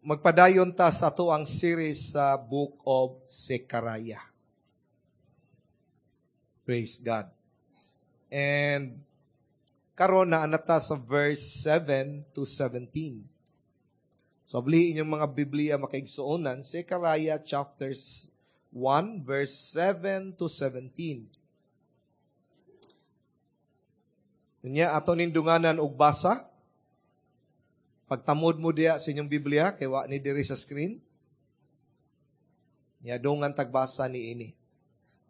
Magpadayon ta sa atoang series sa Book of Zechariah. Praise God. And karon naa na ta sa verse 7 to 17. So abli inyong mga Biblia, mga kaigsuonan, Zechariah chapters 1 verse 7 to 17. Unya ato ning dunganan og basa. Pagtamod mo diya sa inyong Biblia, kay wa ni diri sa screen. Nya dungan tagbasa ni ini.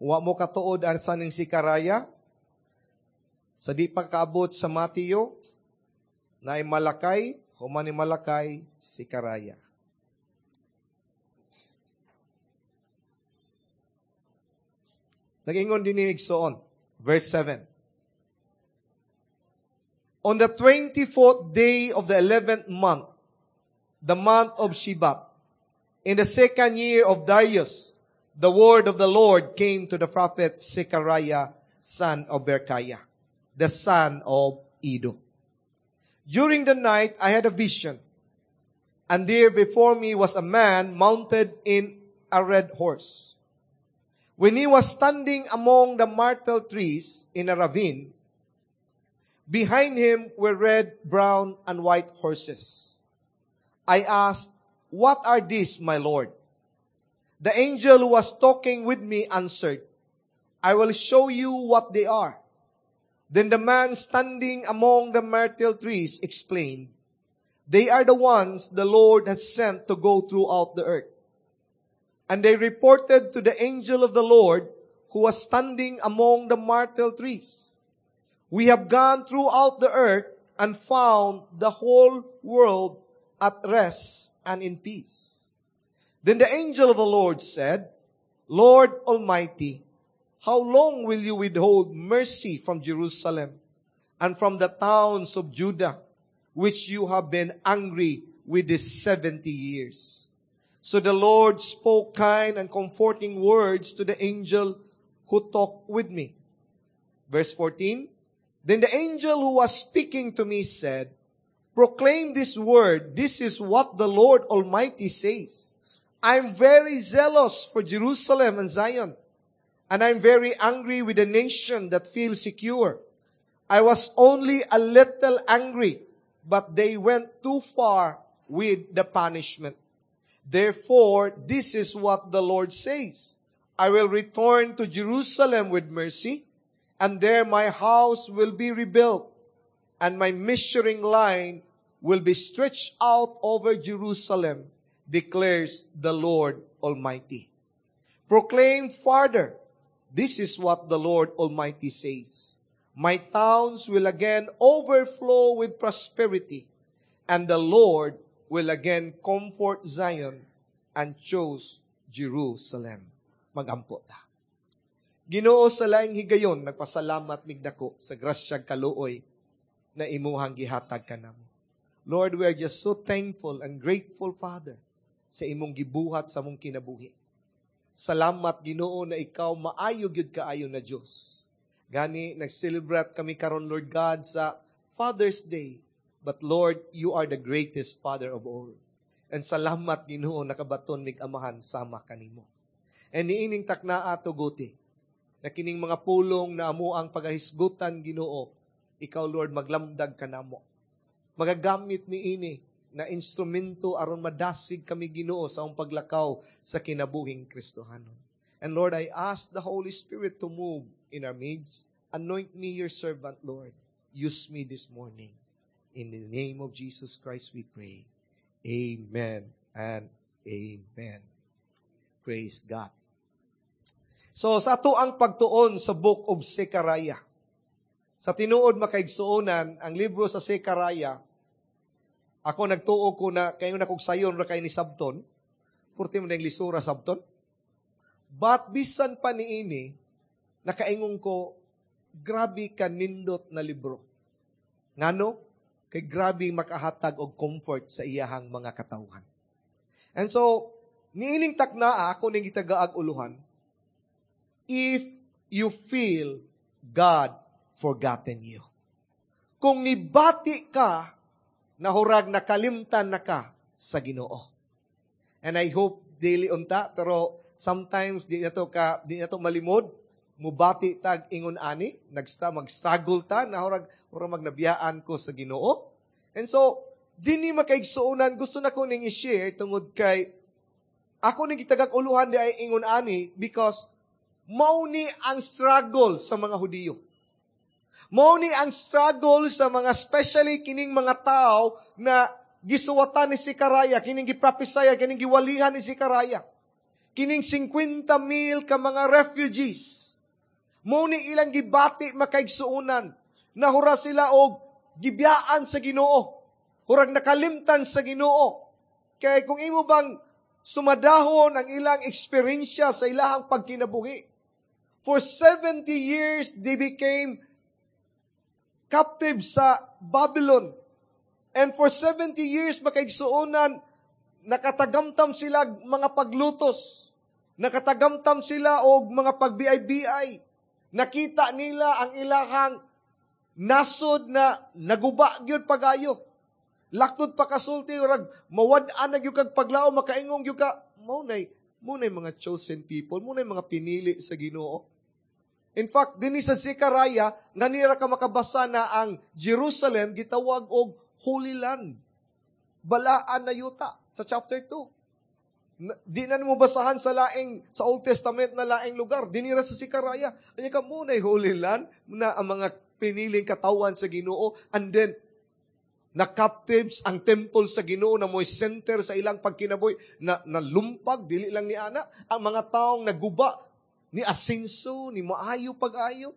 Wa mo katuod asa ning Zechariah, sa di pa kaabot sa Mateo, naay Malakay, human ni Malakay, Zechariah. Nag-ingon din ni igsoon, verse 7. On the 24th day of the 11th month, the month of Shebat, in the second year of Darius, the word of the Lord came to the prophet Zechariah, son of Berechiah, the son of Iddo. During the night, I had a vision, and there before me was a man mounted in a red horse. When he was standing among the myrtle trees in a ravine, behind him were red, brown, and white horses. I asked, "What are these, my Lord?" The angel who was talking with me answered, "I will show you what they are." Then the man standing among the myrtle trees explained, "They are the ones the Lord has sent to go throughout the earth." And they reported to the angel of the Lord who was standing among the myrtle trees, "We have gone throughout the earth and found the whole world at rest and in peace." Then the angel of the Lord said, "Lord Almighty, how long will you withhold mercy from Jerusalem and from the towns of Judah, which you have been angry with these 70 years?" So the Lord spoke kind and comforting words to the angel who talked with me. Verse 14, then the angel who was speaking to me said, "Proclaim this word. This is what the Lord Almighty says. I'm very zealous for Jerusalem and Zion, and I'm very angry with the nation that feels secure. I was only a little angry, but they went too far with the punishment. Therefore, this is what the Lord says. I will return to Jerusalem with mercy, and there my house will be rebuilt, and my measuring line will be stretched out over Jerusalem, declares the Lord Almighty. Proclaim farther, this is what the Lord Almighty says. My towns will again overflow with prosperity, and the Lord will again comfort Zion and chose Jerusalem." Magampo ta. Ginoo, sa laing higayon, nagpasalamat mig dako sa grasyag kaluoy na imuhang gihatag kanamo. Lord, we are just so thankful and grateful, Father, sa imong gibuhat sa among kinabuhi. Salamat, Ginoo, na ikaw maayo gyud kaayo na Dios. Gani nag-celebrate kami karon, Lord God, sa Father's Day. But Lord, you are the greatest Father of all. And salamat, Ginoo, nakabaton mig amahan sama kanimo. And niining taknaa tuguti na kining mga pulong na amo ang pagahisgutan, Ginoo, ikaw, Lord, maglamdag kanamo. Magagamit niini na instrumento aron madasig kami, Ginoo, sa among paglakaw sa kinabuhing Kristohanon. And Lord, I ask the Holy Spirit to move in our midst. Anoint me, your servant, Lord. Use me this morning. In the name of Jesus Christ we pray. Amen and amen. Praise God. So, sa ato ang pagtuon sa Book of Zechariah. Sa tinuod, makaigsuonan, ang libro sa Zechariah, ako nagtuo ko na kayo na kog sayon ra kay ni sabton, purti mo na lisura sabton. But bisan pa niini, nakaingon ko, grabe ka nindot na libro. Ngano? Kay grabe makahatag og comfort sa iyahang mga katawhan. And so, niining taknaa, ako ning gitagaag uluhan, if you feel God forgotten you. Kung nibati ka, nahurag nakalimtan na ka sa Ginoo. And I hope daily unta, pero sometimes di na to malimod mubati tag ingon ani, mag-struggle ta na hurag magnabiyaan ko sa Ginoo. And so dinhi, makaigsuonan, gusto na ko ning i-share tungod kay ako ning gitagak uluhan di ay ingon ani because mao ni ang struggle sa mga Hudiyo. Mao ni ang struggle sa mga, especially kining mga tao na gisuwatan ni Zekaraya, kining giprophesy, kining giwalihan ni Zekaraya. Kining 50 mil ka mga refugees. Mao ni ilang gibati, makaigsuonan. Nahura sila og gibiyaan sa Ginoo. Hurag nakalimtan sa Ginoo. Kaya kung imo bang sumadahon ang ilang eksperyensya sa ilahang pagkinabuhi, for 70 years, they became captive sa Babylon. And for 70 years, makaigsuonan, nakatagamtam sila mga paglutos. Nakatagamtam sila og mga pagbiay-biay. Nakita nila ang ilahang nasod na naguba gyud pagayo. Laktod pa kasulti, rag mawad-an na gyud kag paglaom, makaingong gyud ka, mao nay mga chosen people, mao nay mga pinili sa Ginoo. In fact, dinhi sa Zechariah, nganira ka makabasa na ang Jerusalem gitawag og Holy Land. Balaan na yuta sa chapter 2. Di na mo basahan sa Old Testament na laing lugar. Dinira sa Zechariah. Anya ka mao na Holy Land na ang mga piniling katawan sa Ginoo, and then na captives ang temple sa Ginoo na mo'y center sa ilang pagkinabuhi na nalumpag. Dili lang ni ana ang mga taong naguba, ni asenso, ni maayo pag-ayo.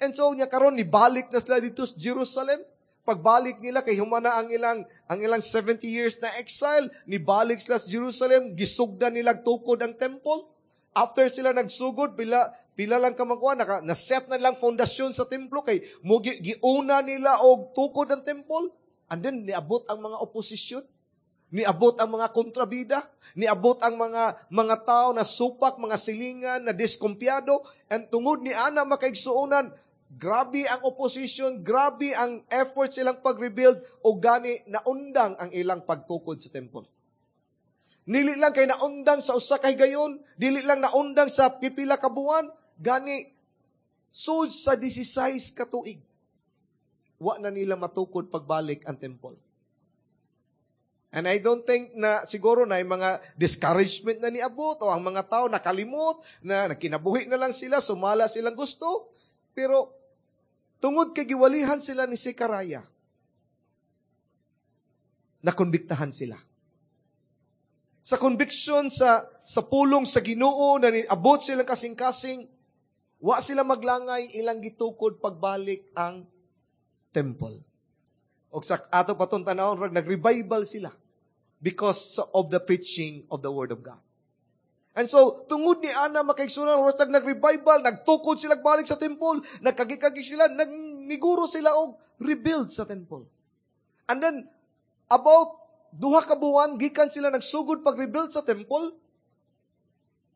And so nya karon ni balik na sila dito sa Jerusalem. Pagbalik nila kay humana ang ilang 70 years na exile, nibalik sila sa Jerusalem, gisugdan nila tukod ang temple. After sila nagsugod, pila pila lang ka magkuha, na set na lang fondasyon sa templo kay mo giuna nila og tukod ang temple. And then niabot ang mga oposisyon. Niabot ang mga kontrabida, niabot ang mga tao na supak, mga silingan, na diskumpiyado, and tungod ni ana, makaigsuonan, grabe ang opposition, grabe ang effort silang pag-rebuild, o gani naundang ang ilang pagtukod sa temple. Dili lang kay naundang sa usa ka higayon, dili lang naundang sa pipila ka buwan, gani sud sa 16 ka tuig, wa na nila matukod pagbalik ang temple. And I don't think na siguro na yung mga discouragement na niabot o ang mga tao nakalimot na nakinabuhi na lang sila, sumala silang gusto. Pero tungod kay giwalihan sila ni Zekaraya, nakonbiktahan sila. Sa conviction sa pulong sa Ginoo na niabot silang kasing-kasing, wa sila maglangay, ilang gitukod pagbalik ang temple. Og sa ato patong tanawon, rag nag-revival sila because of the preaching of the Word of God. And so, tungod ni ana, makaigsuonan, oras nag-revival, nagtukod sila balik sa temple, nagkagi-kagi sila, nagniguro sila og rebuild sa temple. And then, about 2 ka buwan, gikan sila nagsugod pag-rebuild sa temple,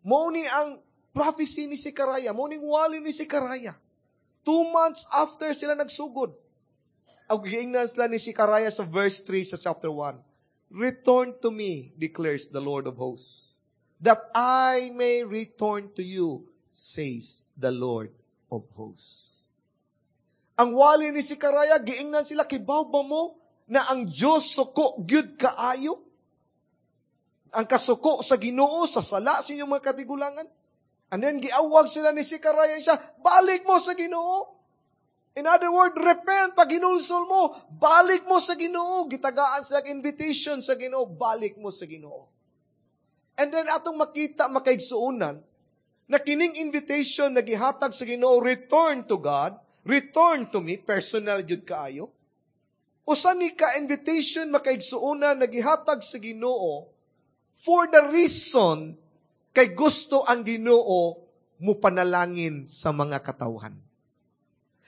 mao ni ang prophecy ni Zekaraya, mao ning wali ni Zekaraya. 2 months after sila nagsugod, ang giingnan sila ni Zekaraya sa verse 3 sa chapter 1, "Return to me, declares the Lord of hosts, that I may return to you, says the Lord of hosts." Ang wali ni Zekaraya, giingnan sila, "Kibaw ba mo na ang Diyos suko gyud kaayo? Ang kasuko sa Ginoo sa sala sa inyong mga katigulangan." And then giawag sila ni Zekaraya siya, "Balik mo sa Ginoo. In other words, repent, pag hinulsol mo, balik mo sa Ginoo." Gitagaan sila invitation sa Ginoo, balik mo sa Ginoo. And then atong makita, makaigsuonan, na kining invitation na gihatag sa Ginoo, return to God, return to me, personal jud kaayo. Usa ni ka invitation, makaigsuonan, na gihatag sa Ginoo for the reason kay gusto ang Ginoo mo panalangin sa mga katawhan.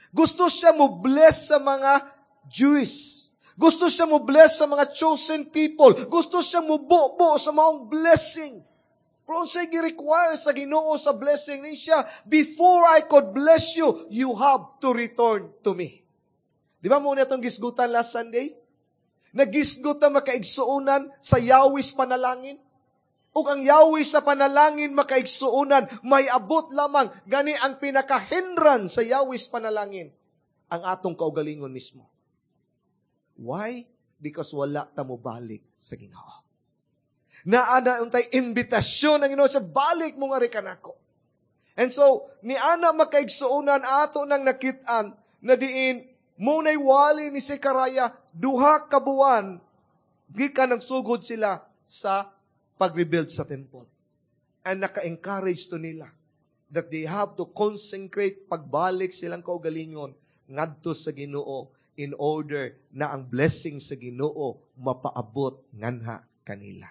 Gusto siya mo bless sa mga Jewish. Gusto siya mo bless sa mga chosen people. Gusto siya mo bubo sa maong blessing. Pero unsay gi-require sa Ginoo sa blessing ni siya, "Before I could bless you, you have to return to me." Di ba mao na itong gisgutan last Sunday? Nagisgot na, makaigsuonan, sa Yahweh's panalangin. Ug ang Yahweh sa panalangin, makaigsuonan, may abot lamang gani ang pinakahindran sa Yahweh sa panalangin, ang atong kaugalingon mismo. Why? Because wala ta mo balik sa Ginoo. Naa na untay imbitasyon ang Ginoo sa balik mo nga kanako. And so, ni ana, makaigsuonan, ato nang nakit-an na diin munay wali ni Zekaraya 2 ka buwan gikan nagsugod sila sa pag-rebuild sa temple. And naka-encourage to nila that they have to consecrate, pagbalik silang kaugalingon ngadto sa Ginoo in order na ang blessing sa Ginoo mapaabot nganha kanila.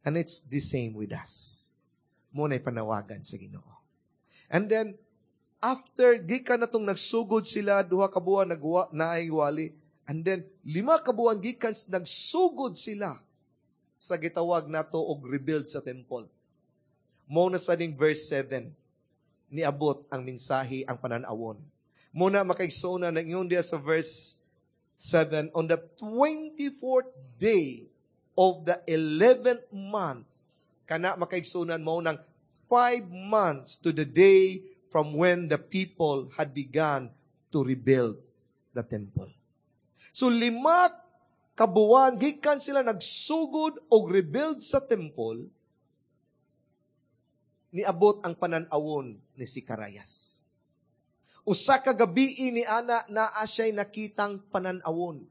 And it's the same with us. Muna'y panawagan sa Ginoo. And then, after, gikan na tong nagsugod sila, 2 ka buwan, nagwa, naay wali. And then, 5 ka buwan gikan nagsugod sila sa gitawag nato og rebuild sa temple. Mo na sa ning verse 7, niabot ang mensahe, ang pananawon. Muna, makaigsoon, na ingon diya sa verse 7, "On the 24th day of the 11th month," kana, makaigsuonan, mo nang 5 months to the day from when the people had begun to rebuild the temple. So 5 kabuwan gikan sila nagsugod og rebuild sa temple, niabot ang panan-awon ni Zekarayas. Usa ka gabi ni ana, naa siya'y nakitang panan-awon.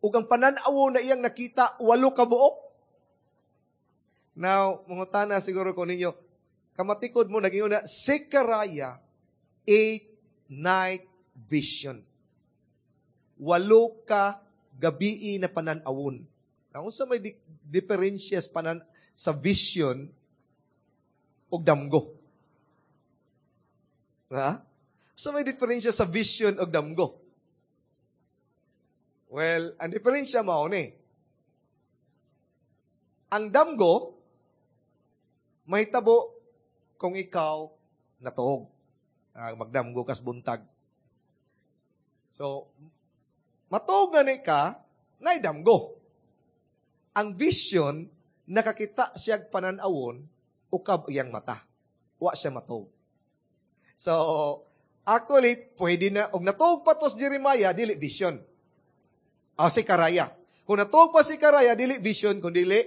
Ug ang panan-awon na iyang nakita, walo ka buok. Now, mangutana siguro ko ninyo, kamatikod mo, nag na Zechariah, eight night vision. Walo ka gabi na panan-awon. Now, unsa may diferensya panan sa vision ug damgo? Ha? Sa may diferensya sa vision ug damgo? Well, ang diferensya mao ni. Ang damgo, mahitabo kung ikaw natuog. Magdamgo kas buntag. So, matuog nga ni ka, naidamgo. Ang vision, nakakita siya pananawon, ukab iyang mata. Wa siya matuog. So, actually, pwede na, og natuog pa to si Jeremiah, dili vision. Ah, si Karaya. Kung natuog pa si Karaya, dili vision, kung dili,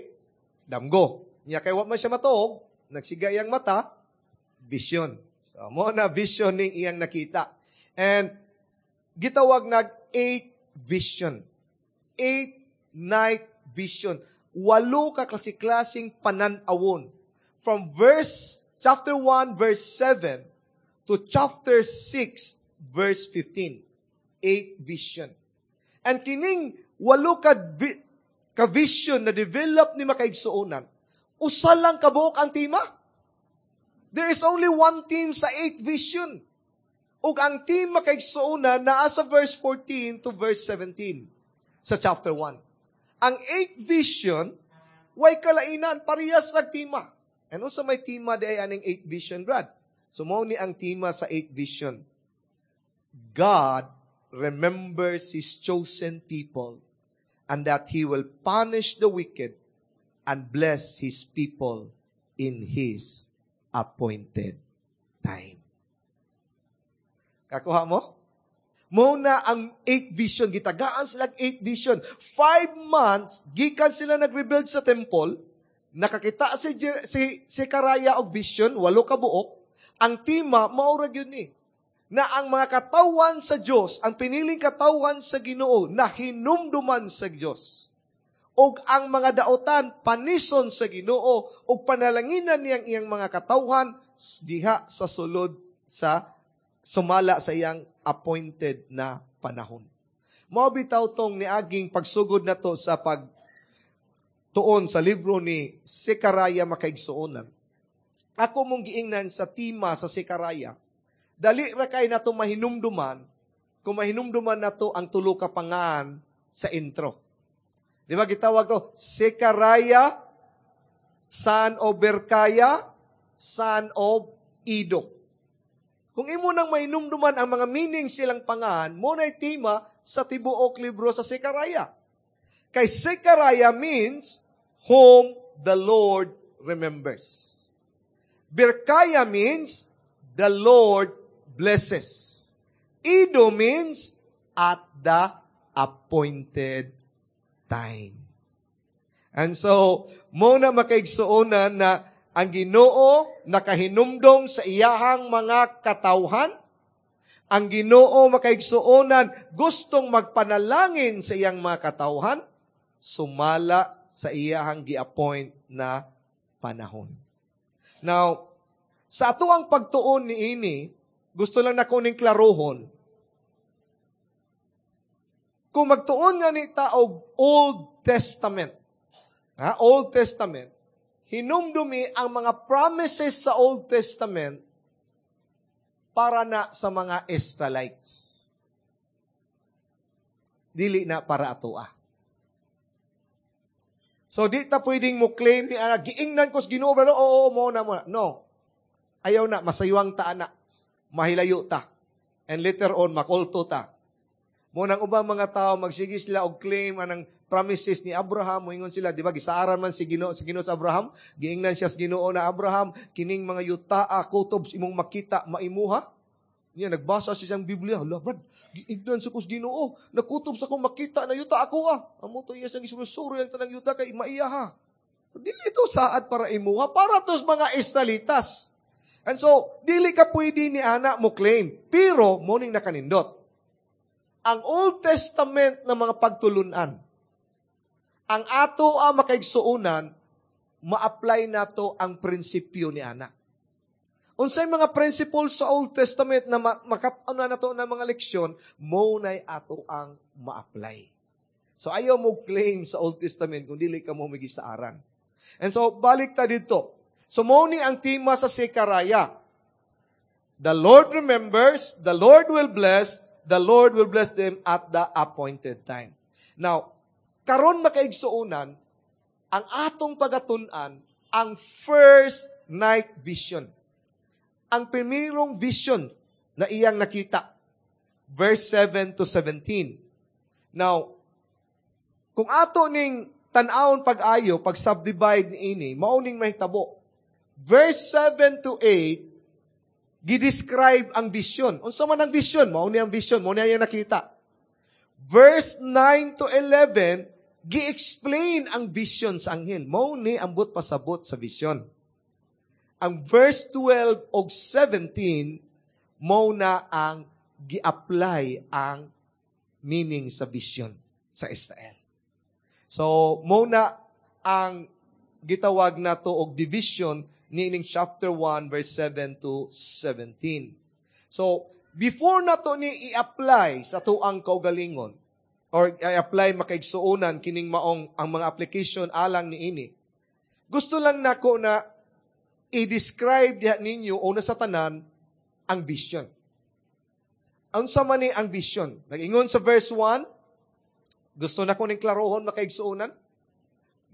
damgo. Nya kay wa man siya matuog, nagsiga iyang mata, vision. So, mo na vision ning iyang nakita. And gitawag nag eight vision. Eight night vision. Walo ka klase-klaseng pananawon. From verse, chapter 1, verse 7 to chapter 6, verse 15. Eight vision. And kining walo ka vision na develop ni makaigsuonan, usa lang kabuok ang tema. There is only one theme sa eight vision. Ug ang theme, makaigsuonan, naa sa verse 14 to verse 17 sa chapter 1. Ang eight vision, way kalainan, parehas rag tema. And unsa may tema di ay aning eight vision, Brad? So mao ni ang tema sa eight vision. God remembers His chosen people and that He will punish the wicked and bless His people in His appointed time. Kakuha mo? Mo na ang eight vision. Gitagaan sila eight vision. 5 months, gikan sila nag-rebuild sa temple, nakakita si Karaya og vision, walo ka buok. Ang tema, mao ra gyud ni na ang mga katawan sa Dios, ang piniling katawan sa Ginoo na hinumduman sa Dios. Og ang mga daotan panison sa Ginoo ug panalanginan niyang iyang mga katawhan diha sa sulod sa sumala sa iyang appointed na panahon. Mao bitaw tong niaging pagsugod nato sa pag tuon sa libro ni Zekaraya, makaigsuonan. Ako mong giingnan sa tema sa Zekaraya, dali ra kay nato mahinumduman kung mahinumduman nato ang tulo ka pangan sa intro. Di ba gitawag to Zekaraya, son of Berkaya, son of Ido? Kung imo nang mahinumduman ang mga meaning silang pangan, mo na'y tema sa tibuok libro sa Zekaraya. Kay Zekaraya means "whom the Lord remembers." remembers. Birkaya means the Lord blesses. Ido means at the appointed time. And so, mao na, makaigsuonan, na ang Ginoo nakahinumdom sa iyahang mga katawhan. Ang Ginoo, makaigsuonan, gustong magpanalangin sa iyang mga katawhan sumala sa iyahang gi-appoint na panahon. Now, sa ato ang pagtuon ni ini, gusto lang nako ning klarohon. Kung magtuon nga ni ta og Old Testament, ha, Old Testament, hinumdumi ang mga promises sa Old Testament para na sa mga Israelites. Dili na para ato ah. So di ta pwedeng mo claim ni ana, giingnan ko sa Ginoo, pero oo, mo na mo na. No. Ayaw na, masaywang ta ana. Mahilayo ta. And later on, makulto ta. Mo nang ubang mga tao magsige sila og claim anang promises ni Abraham, moingon sila, di ba, gisaaran man si Ginoo sa Abraham, giingnan siya sa Ginoo na, "Abraham, kining mga yutaa kutob imong makita maimuha." Niya nagbasa siya siyang Biblia, "Hala, brad, giingnan sa ko sa Ginoo, nakutob sa akong makita na yuta ako ah. Amo to iya siyang gisurusuro yang tanang yuta kay maiya ha." Dili ito saad para imuha, para to sa mga Israelitas. And so, dili ka pwede ni ana mo claim. Pero, mao ning nakanindot. Ang Old Testament na mga pagtulunan, ang ato ang makaigsuonan, ma-apply nato ang prinsipyo ni ana. Unsay mga principles sa Old Testament na makat-on na nato na mga leksyon, mo nay ato ang ma-apply. So ayaw mo claim sa Old Testament kung dili ka mo migisaaran. And so balik ta dito. So mo ni ang tema sa Zechariah. The Lord remembers, the Lord will bless, the Lord will bless them at the appointed time. Now, karon, makaigsuonan, ang atong pagatun-an ang first night vision. Ang primerong vision na iyang nakita. Verse 7 to 17. Now, kung ato ning tan-awon pag-ayo, pag subdivide ni ini, mao ning mahitabo. Verse 7 to 8, gi-describe ang vision. Unsa man ang vision? Mao ni ang vision, mao ni iyang nakita. Verse 9 to 11, gi-explain ang vision sa anghel. Mao ni ambot pasabot sa vision. Ang verse 12 og 17, mao na ang gi-apply ang meaning sa vision sa Israel. So, mao na ang gitawag nato og division niining chapter 1 verse 7 to 17. So, before nato ni i-apply sa tuang kaugalingon or i-apply, makaigsuonan, kining maong ang mga application alang niini. Gusto lang nako na i-describe diha ninyo una sa tanan ang vision. Ang sa man ni ang vision? Nag-ingon sa verse 1, gusto na ko ning klarohon, makaigsuonan.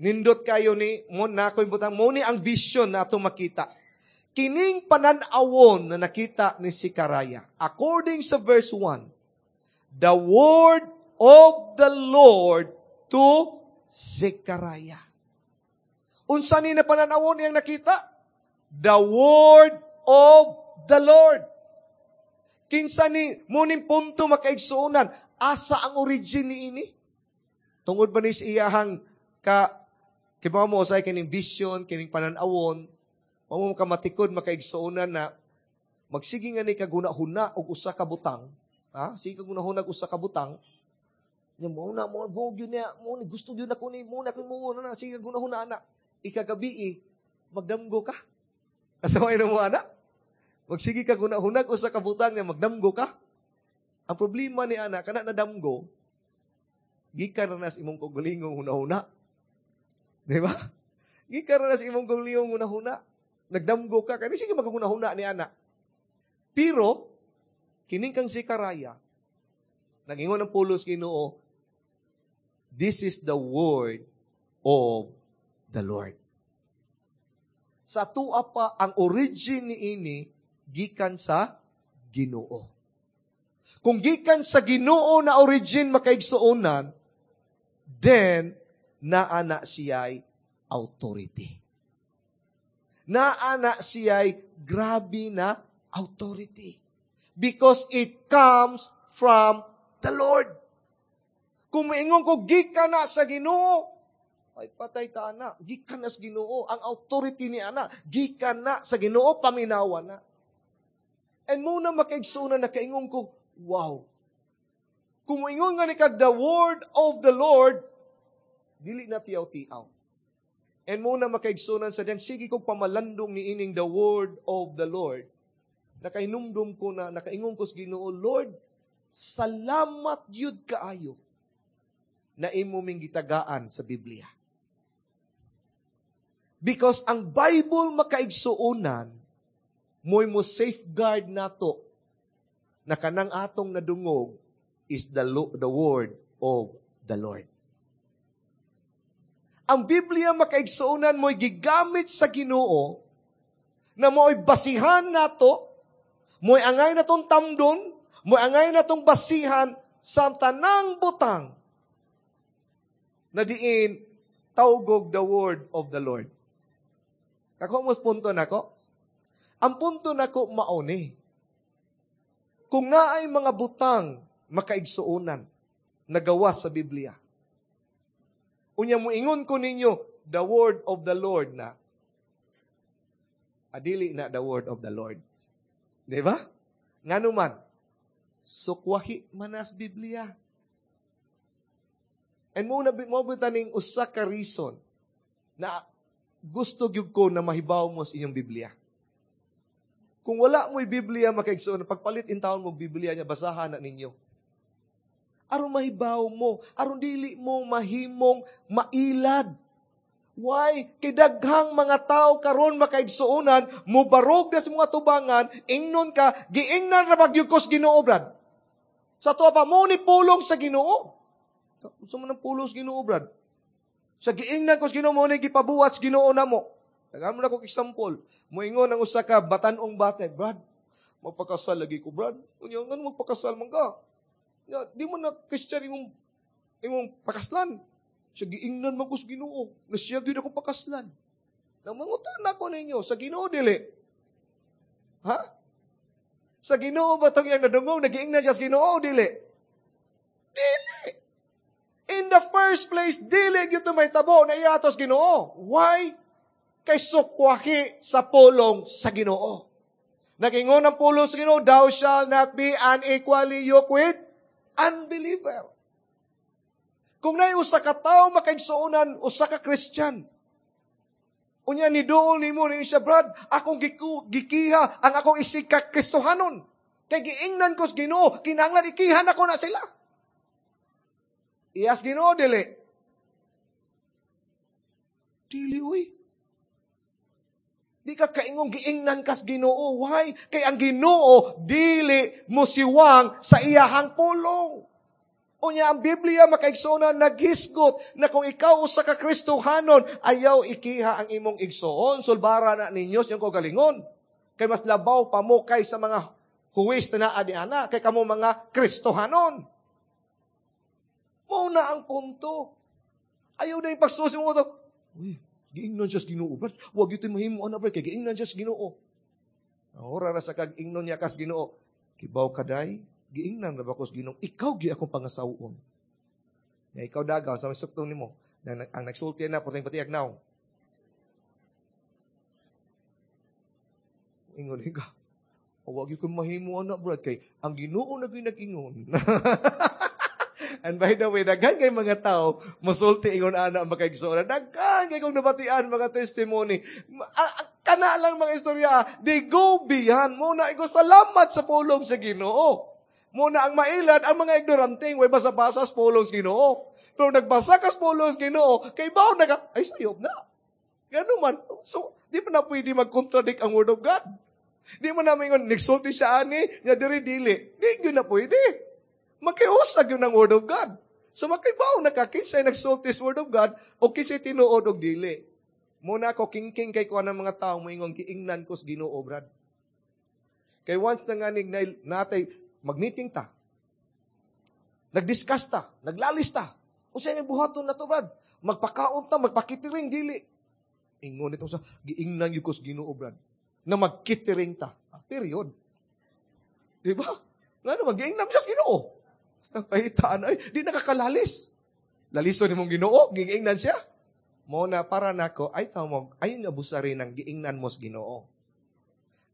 Nindot kayo ni mo na ko ibutang mo ni ang vision na atong makita. Kining panan-awon na nakita ni Zechariah, according sa verse 1, the word of the Lord to Zechariah. Unsa ni na panan-awon iyang nakita? The word of the Lord. Kinsa ni mo ning punto, makaigsuonan, asa ang origin ni ini? Tungod ba ni sa iyahang ka kibaw mo usay kining vision, kining panan-awon, wa mo kamatikod, makaigsuonan, na magsige nga ni kaguna-huna og usa ka butang, ha? Sige kag huna-huna og usa ka butang. Nya mo na mo mo gyud niya, mo ni gusto gyud nako ni mo na ko mo na sige kag huna-huna ana. Ikagabi magdamgo ka. Asa may mo ana? Magsige kag huna-huna og usa ka butang nga magdamgo ka. Ang problema ni ana, kana nadamgo, gikan na sa imong kaugalingong huna-huna. Di ba? Gikan na sa imong kaugalingong huna-huna. Nagdamgo ka, kani sige maghuna-huna ni ana. Pero kining kang Zechariah, nagingon ang pulos Ginoo, this is the word of the Lord. Sa tua pa, ang origin ni ini gikan sa Ginoo. Kung gikan sa Ginoo na origin, makaigsuonan, then naa na siya'y authority. Naa na siya'y grabe na authority. Because it comes from the Lord. Kung moingon ko, gikan na sa Ginoo, ay patay ta ana, gikan na sa Ginoo. Ang authority ni ana, gikan na sa Ginoo, paminawa na. And mao na, makaigsuonan, nakaingon ko, "Wow." Kung moingon nga ni kag the word of the Lord, dili na tiyaw-tiyaw. And mao na, makaigsuonan, sa diyang sige kong pamalandong ni ining the word of the Lord, nakainumdum ko na, nakaingon ko sa Ginoo, "Lord, salamat yun kaayo na imo ming gitagaan sa Biblia." Because ang Bible, makaigsuonan, mo'y mo safeguard nato na kanang atong nadungog is the word of the Lord. Ang Biblia, makaigsuonan, mo'y gigamit sa Ginoo na mo'y basihan nato, mo'y angay natong tamdon, mo'y angay natong basihan sa tanang butang na diin tawgog the word of the Lord. Kako mo punto nako? Ang punto nako mao ni. Kung naay mga butang, makaigsuonan, nagawa sa Biblia, unya moingon ko ninyo, the word of the Lord na, adili na the word of the Lord. Di ba? Ngano man, sukwahi manas Biblia. And mao na mao taning usa ka reason na gusto gyud ko na mahibaw mo sa inyong Biblia. Kung wala mo'y Biblia, makaigsoon, pagpalit in taon mo Biblia niya, basahan na ninyo. Aron mahibaw mo, aron dili mo mahimong mailad. Why? Kay daghang mga tao karon, makaigsuonan, mubarog na sa mga tubangan, ingnon ka, "Giingnan ra ba gyud ko sa Ginoo, Brad?" Sa tuwa pa mao ni pulong sa Ginoo. Unsa man ang pulong sa Ginoo, Brad? Sa giingnan ko sa Ginoo, mao ni gipabuhat sa Ginoo namo. Tagaan mo na ko example. Moingon ang usa ka batan-ong bata, "Brad, magpakasal lagi ko, Brad." "Unya ngano magpakasal man ka? Ya, di mo na Christian imong pakaslan." "Sa giingnan man ko sa Ginoo, na siya gyud ako pakaslan." Nang mangutan ako ninyo, sa Ginoo dili? Ha? Sa Ginoo ba tong iyang nadungog? Nagiingnan siya sa Ginoo dili? Dili. In the first place, dili gyud to mahitabo na iatos Ginoo. Why? Kay sukwahi sa pulong sa Ginoo. Nagingon ang pulong sa Ginoo, "Thou shalt not be unequally yoked with unbeliever." Kung naay usa ka tawo, makaigsuonan, usa ka Christian, unya ni duol nimo ni siya, "Brad, akong gikiha ang akong isig ka Kristohanon. Kay giingnan ko sa Ginoo, kinahanglan ikihan ako na sila." Iyas Ginoo dili? Dili uy. Di ka kaingong giingnan kas Ginoo. Why? Kay ang Ginoo dili mo siwang sa iyahang pulong. Unya ang Biblia, makaigsoona, naghisgot na kung ikaw usa ka Kristohanon, ayaw ikiha ang imong igsoon, sulbara na ninyo sa inyong kaugalingon. Kay mas labaw pa mo kay sa mga huwis na naa di ana, kay kamo mga Kristohanon. Mao na ang punto. Ayaw na yung pagsusi mo to. "Uy, giingnan siya sa Ginoo, Brad. Wag yun mahimo ana, Brad, kay giingnan siya sa Ginoo." Ora ra sa kag ingnon niya kas Ginoo. "Kibaw ka day, giingnan ra ba ko sa Ginoo? Ikaw gi akong pangasawon." Ya ikaw dagaw sa suktong nimo. Ang nagsulti na puteng patiag now. Ingon ka. "Wag ko mahimo ana, Brad, kay ang Ginoo na gyud nag-ingon." And by the way, daghan kay mga tao musulti ingon ana, makaigsoon. Daghan kay kong nabatian mga testimony. Kana lang mga istorya, they go beyond. Mao na ko salamat sa pulong sa Ginoo. Mao na ang mailad ang mga ignorante, way basa-basa sa pulong sa Ginoo. Pero nagbasa ka sa pulong sa Ginoo, kay bawo na ka, ay sayop na. Ganun man. So, di pa na pwede mag-contradict ang word of God. Di mo na maingon, nagsulti siya ani, nya diri dili. Di yun na pwede. Magkiusag yun ang word of God. So makibaw na ka, kinsay nagsulti sa word of God, o kinsay tinuod og dili. Mao na ako kingking kay kuan ng mga tao moingon, "Giingnan ko sa Ginoo, Brad." Kay once na nganig na natay mag-meeting ta, nag-discuss ta, naglalis ta. Unsay nga buhaton na to, Brad? Magpakaon ta, magpakitiring dili. Ingon ito sa giingnan gyud ko sa Ginoo, brad, na magkitering ta. Period. Di ba? Ngano magiingnan siya sa Ginoo? Basta pahitaan ay di nakakalalis. Lalison nimong Ginoo, giingnan siya. Mo na para nako ay tawag ayon nga busari nang giingnan mo sa Ginoo.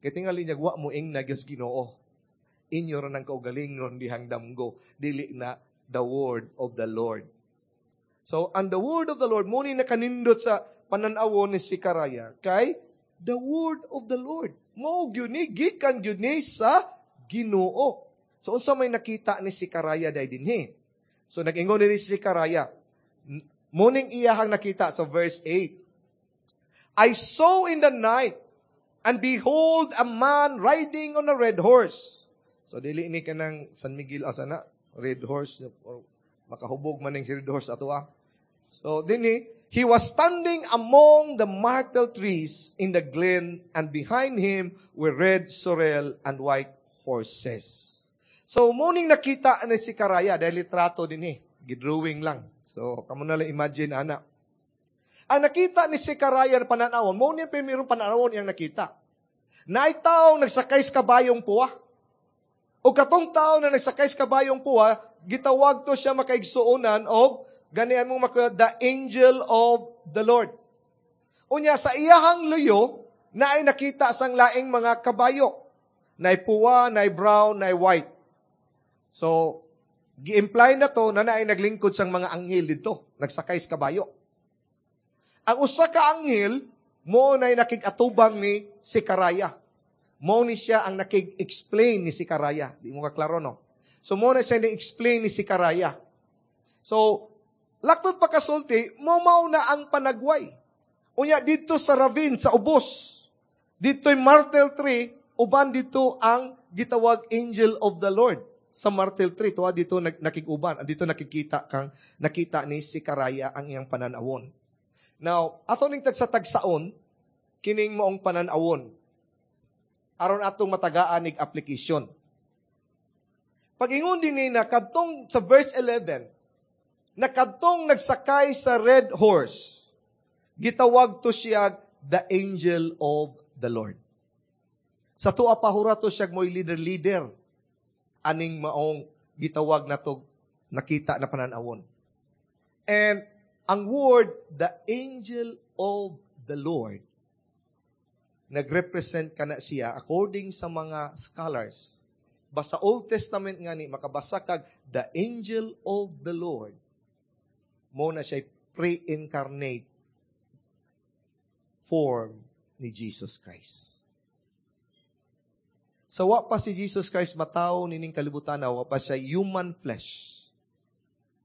Kay tingali niya wa mo ingna gyud sa Ginoo. Inyo ra nang kaugalingon dihang damgo, dili na the word of the Lord. So, ang the word of the Lord, mo ni nakanindot sa pananawon ni Zecharia, kay the word of the Lord. Mo gyud ni, gikan gyud ni sa Ginoo. So, unsa may nakita ni Zecharia day dinhi? So, nag-ingon ni si Zecharia, mo ning iyahang nakita sa verse 8. "I saw in the night, and behold, a man riding on a red horse." So, dili ni kanang San Miguel, asa na, red horse, or makahubog man ning si red horse ato ah. So, dinhi, "He was standing among the myrtle trees in the glen, and behind him were red, sorrel, and white horses." So, muning nakita ni si Zecharia, dahil litrato din eh, gidrawing lang. So, kamo na lang imagine, ana. Ang nakita ni Zecharia na pananawon, mo niya primerong pananawon iyang nakita. Naay taong nagsakay sa kabayong puwa. O katong tao na nagsakay sa kabayong puwa, gitawag to siya, makaigsuonan, og ganian mong makita, the angel of the Lord. Unya, sa iyahang luyo, naay nakita sang laing mga kabayo. Naay puwa, naay brown, naay white. So, gi-imply na to na naay naglingkod sang mga anghel dito, nagsakay sa kabayo. Ang usa ka anghel, mo na'y nakig-atubang ni Zecharia. Mo ni siya ang nakig-explain ni Zecharia. Di mo kaklaro, no? So, mo na siya ni-explain ni Zecharia. So, laktod pa kasulti, mo mauna ang panagway. Unya, dito sa ravine, sa ubos, dito'y myrtle tree, uban dito ang gitawag angel of the Lord. Sa myrtle tree, tuwa dito nakiguban, dito nakikita kang nakita ni Zecharia ang iyang pananawon. Now, ato ning tagsa-tagsaon, kining maong pananawon, aron atong matagaan nig application. Pag-ingon din ni na kadtong sa verse 11, na kadtong nagsakay sa red horse, gitawag to siya the angel of the Lord. Sa tuwa pahura to siya mo'y leader-leader, aning maong gitawag na to nakita na pananawon. And ang word, the angel of the Lord, nagrepresent ka na siya according sa mga scholars. Basta Old Testament nga ni, makabasa kag the angel of the Lord, mo na siya pre-incarnate form ni Jesus Christ. Sa wa pa si Jesus Christ matawo nining kalibutan, wa pa siya human flesh.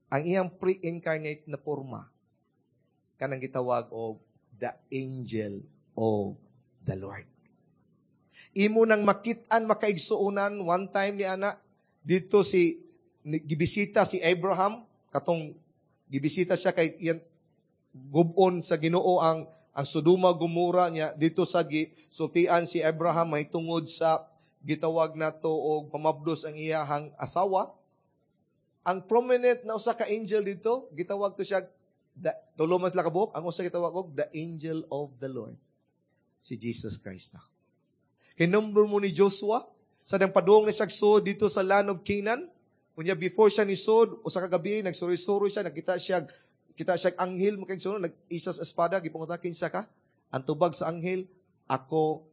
Ang iyang pre-incarnate na forma, kanang gitawag og the angel of the Lord. Imo nang makit-an, makaigsuonan, one time ni ana, dito si, gibisita si Abraham, katong gibisita siya kay iyan, gubon sa Ginoo ang Sodoma Gomora niya, dito sa sultian si Abraham may tungod sa gitawag nato og pamabdos ang iyahang asawa. Ang prominent na usa ka angel dito, gitawag to siya the, tulo man sila kabuok, ang usa gitawag og the angel of the Lord, si Jesus Christ. Kinumbro mo ni Joshua, sa dang padung na siya sud dito sa land of Canaan, unya before siya ni sud, usa ka gabi nagsuri-suri siya, nakita siya, kita siya anghel makigsuno, nag-isa sa espada, gipangutan, "Kinsa ka?" Ang tubag sa anghel, "Ako,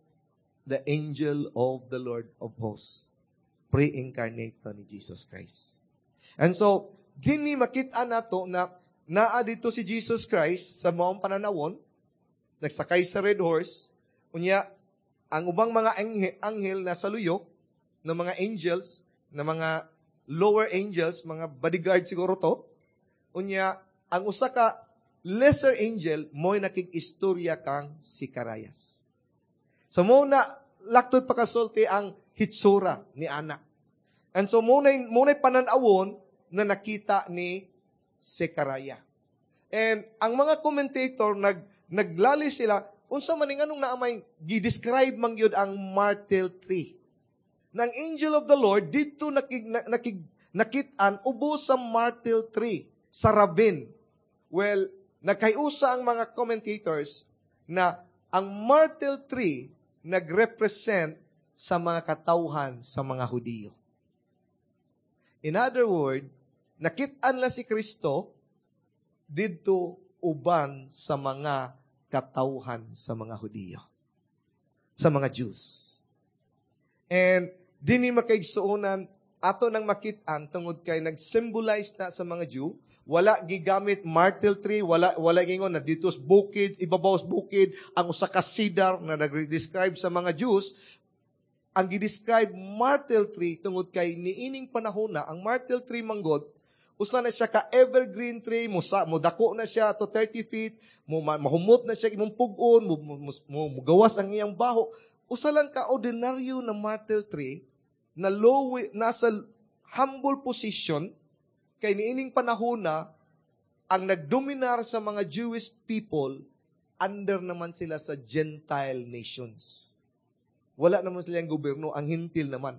the angel of the Lord of hosts." Pre-incarnate to ni Jesus Christ. And so, dinhi makita nato na naa dito si Jesus Christ sa maong pananawon, nagsakay sa red horse, unya, ang ubang mga anghel na sa luyo, ng mga angels, na mga lower angels, mga bodyguard siguro to, unya, ang usa ka lesser angel, mo'y nakig-istorya kang Zacarias. So mo na, laktod pakasulti ang hitsura ni ana. And so muna'y pananawon na nakita ni Zechariah. And ang mga commentator, naglali sila, unsa man ning anong naamay, gi-describe man gyud ang myrtle tree. Nang angel of the Lord, dito nakit-an, ubos sa myrtle tree, sa ravine. Well, nagkayusa ang mga commentators na ang myrtle tree nagrepresent sa mga katawhan sa mga Hudiyo. In other word, nakit-an lang si Kristo didto uban sa mga katawhan sa mga Hudiyo, sa mga Jews. And dinhi, makaigsuonan, ato nang makit-an tungod kay nag-symbolize na sa mga Jew. Wala gigamit myrtle tree, wala gingon na dito sa bukid, ibabaw sa bukid ang usa ka cedar na nag-describe sa mga Jews. Ang gi-describe myrtle tree tungod kay niining panahon na ang myrtle tree manggod usa na siya ka evergreen tree, mo sa mo dako na siya to 30 feet, mo mahumot na siya imong pug-on, mo gawas ang iyang baho. Usa lang ka ordinaryo na myrtle tree na low, nasa humble position, kay niining panahon na ang nagdominar sa mga Jewish people, under naman sila sa Gentile nations. Wala naman silang gobyerno, ang Hentil naman.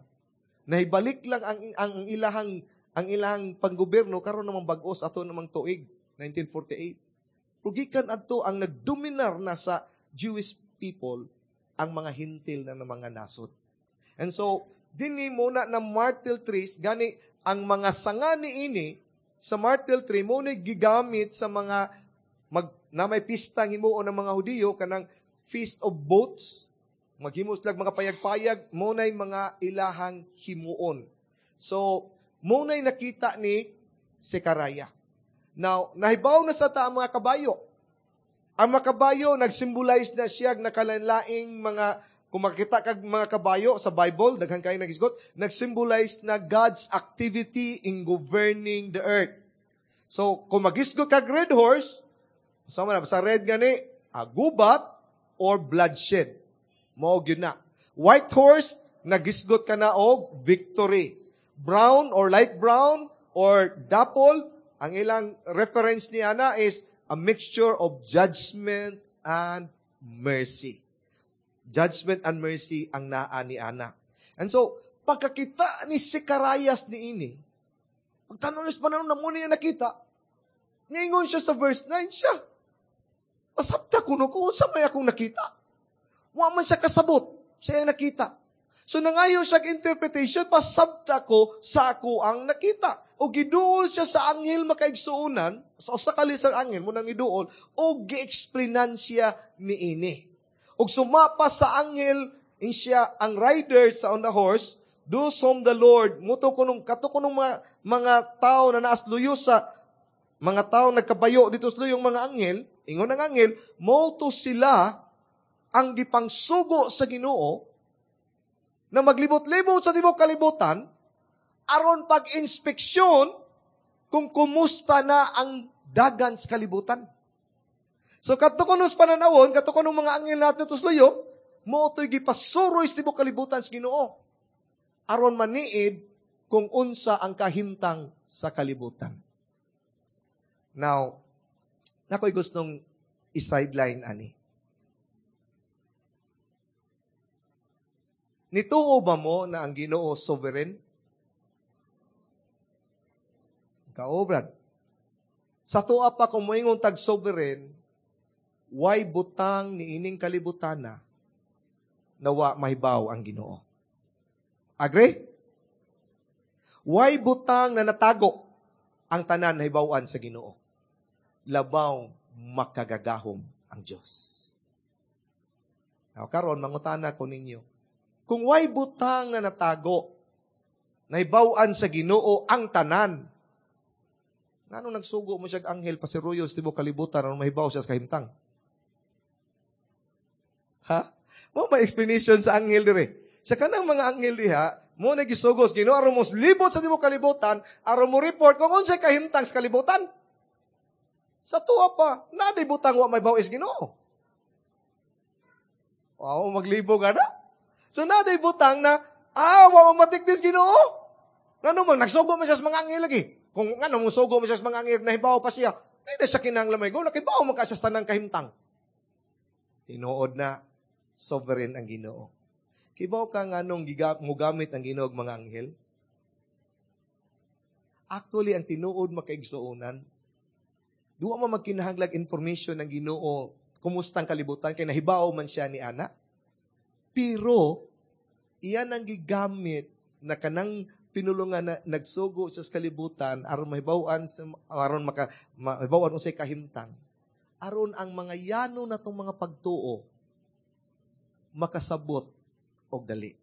Nahibalik lang ang ilahang panggobyerno karon namang bag-os, ato namang tuig 1948. Pero gikan adto, ang nagdominar na sa Jewish people ang mga Hentil na mga nasod. And so dinhi muna na myrtle trees, gani ang mga sanga ni ini sa myrtle tree mo ni gigamit sa mga na may pista himuon ng mga Hudiyo, kanang Feast of Booths, maghimo sila mga payag-payag, mo nay mga ilahang himuon. So mo nay nakita ni Zechariah. Now, nahibaw na sa ta ang mga kabayo. Ang mga kabayo, nagsymbolize na siya nakalanlaing mga, kung makita kag mga kabayo sa Bible, daghan kayo nagisgot, nagsymbolize na God's activity in governing the earth. So, kung magisgot kag red horse, sama na, sa red gani, gubat or bloodshed. Mao gyud na. White horse, nagisgot ka na og victory. Brown or light brown or dapple, ang ilang reference ni ana is a mixture of judgment and mercy. Judgment and mercy ang naa ni ana. And so, pagkakita ni Zechariah ni ini, pagtanong ni panahon na muna niya nakita, ningon siya sa verse 9 siya, "Pasabta kuno ko, unsa may akong nakita?" Wa man siya kasabot siya nakita. So nangayo siya interpretation, "Pasabta ko sa ako ang nakita." O giduol siya sa anghel, makaigsuonan, sa usa ka lesser anghel mo nang giduol, o gi-explainan siya ni ini. Og sumapa sa anghel, in siya ang rider sa on the horse, "Those whom the Lord," muto kunong kato kunong mga tao na naas luyo, sa mga tao nagkabayo dito sa luyong mga anghel, ingon ang anghel, mo to sila ang gipangsugo sa Ginoo na maglibot-libot sa tibuok kalibutan aron pag-inspeksyon kung kumusta na ang dagan sa kalibutan. So kadto kuno sa pananawon, kadto kuno mga anghel nato tusluyo, mo to'y gipasuroy sa tibuok kalibutan sa Ginoo aron maniid kung unsa ang kahimtang sa kalibutan. Now, nakoy gustong i-sideline ani. Nituo ba mo na ang Ginoo sovereign? Kaobrad. Sa tuwa pa, kung moingon tag sovereign, why butang ni ining kalibutan na nawa mahibaw ang Ginoo? Agree? Why butang na natago ang tanan nahibaw-an sa Ginoo? Labaw makagagahom ang Dios. Now, karon mangutana ko ninyo. Kung why butang na natago, nahibaw-an sa Ginoo ang tanan, ngano nagsugo mo siya anghel pasiruyo sa tibuok kalibutan aron mahibaw siya sa kahimtang? Ha? Mo may explanation sa anghel dire. Sa kanang mga anghel diha, mo na gisugo sa Ginoo aron mo libot sa tibuok kalibutan aron mo report kung unsay kahimtang sa kalibutan. Sa tuwa pa, naday butang wa may is Ginoo. Wow, maglibog ana. So naday butang na wa matikdis Ginoo. Ngano man nagsugo man siya sa mga anghel lagi? Kung ngano mo sugo man siya sa mga anghel, nahibaw pa siya. Di na siya kinahanglan may go, nakibaw man ka siya sa tanang kahimtang. Tinuod na sovereign ang Ginoo. Kibaw ka nganong mugamit ang Ginoo og mga anghel? Actually, ang tinuod, makaigsuonan, duwa man magkinahanglag information ng Ginoo Kumusta ang kalibutan kay nahibaw man siya ni ana. Pero iyan ang gigamit na kanang pinulungan na nagsugo siya sa kalibutan aron mahibaw-an aron maka mahibaw-an unsay kahimtang, aron ang mga yano natong mga pagtuo makasabot og dali.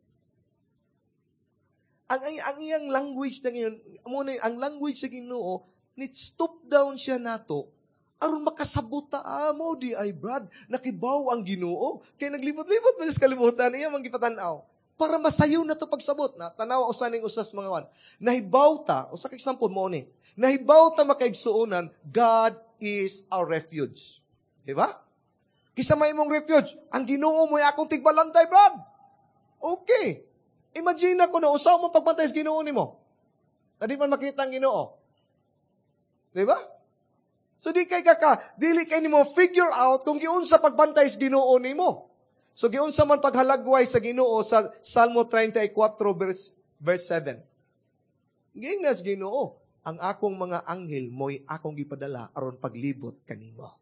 Ang iyang language na ngayon, mo na ang language sa Ginoo, ni stoop down siya nato aron makasabot ta, ah, mo di ay, Brad, nakibaw ang Ginoo kay naglibot-libot man sa kalibutan, iya man gipatan-aw para masayo na to pagsabot na tanawa usa ning usas mga wan. Nahibaw ta, usa ka example mo ni. Nahibaw ta, makaigsuonan, God is our refuge. Di ba? Kinsa may imong refuge? Ang Ginoo mo akong tigbalantay, Brad. Okay. Imagine ako na usaw mo pagbantay sa Ginoo nimo. Di man makita ang Ginoo. Di ba? So di kay kaka, dili kay nimo figure out kung giunsa pagbantay sa Ginoo nimo. So giunsa man paghalagway sa Ginoo sa Salmo 34 verse 7. Giingnas Ginoo, "Ang akong mga anghel mo'y akong gipadala aron paglibot kanimo."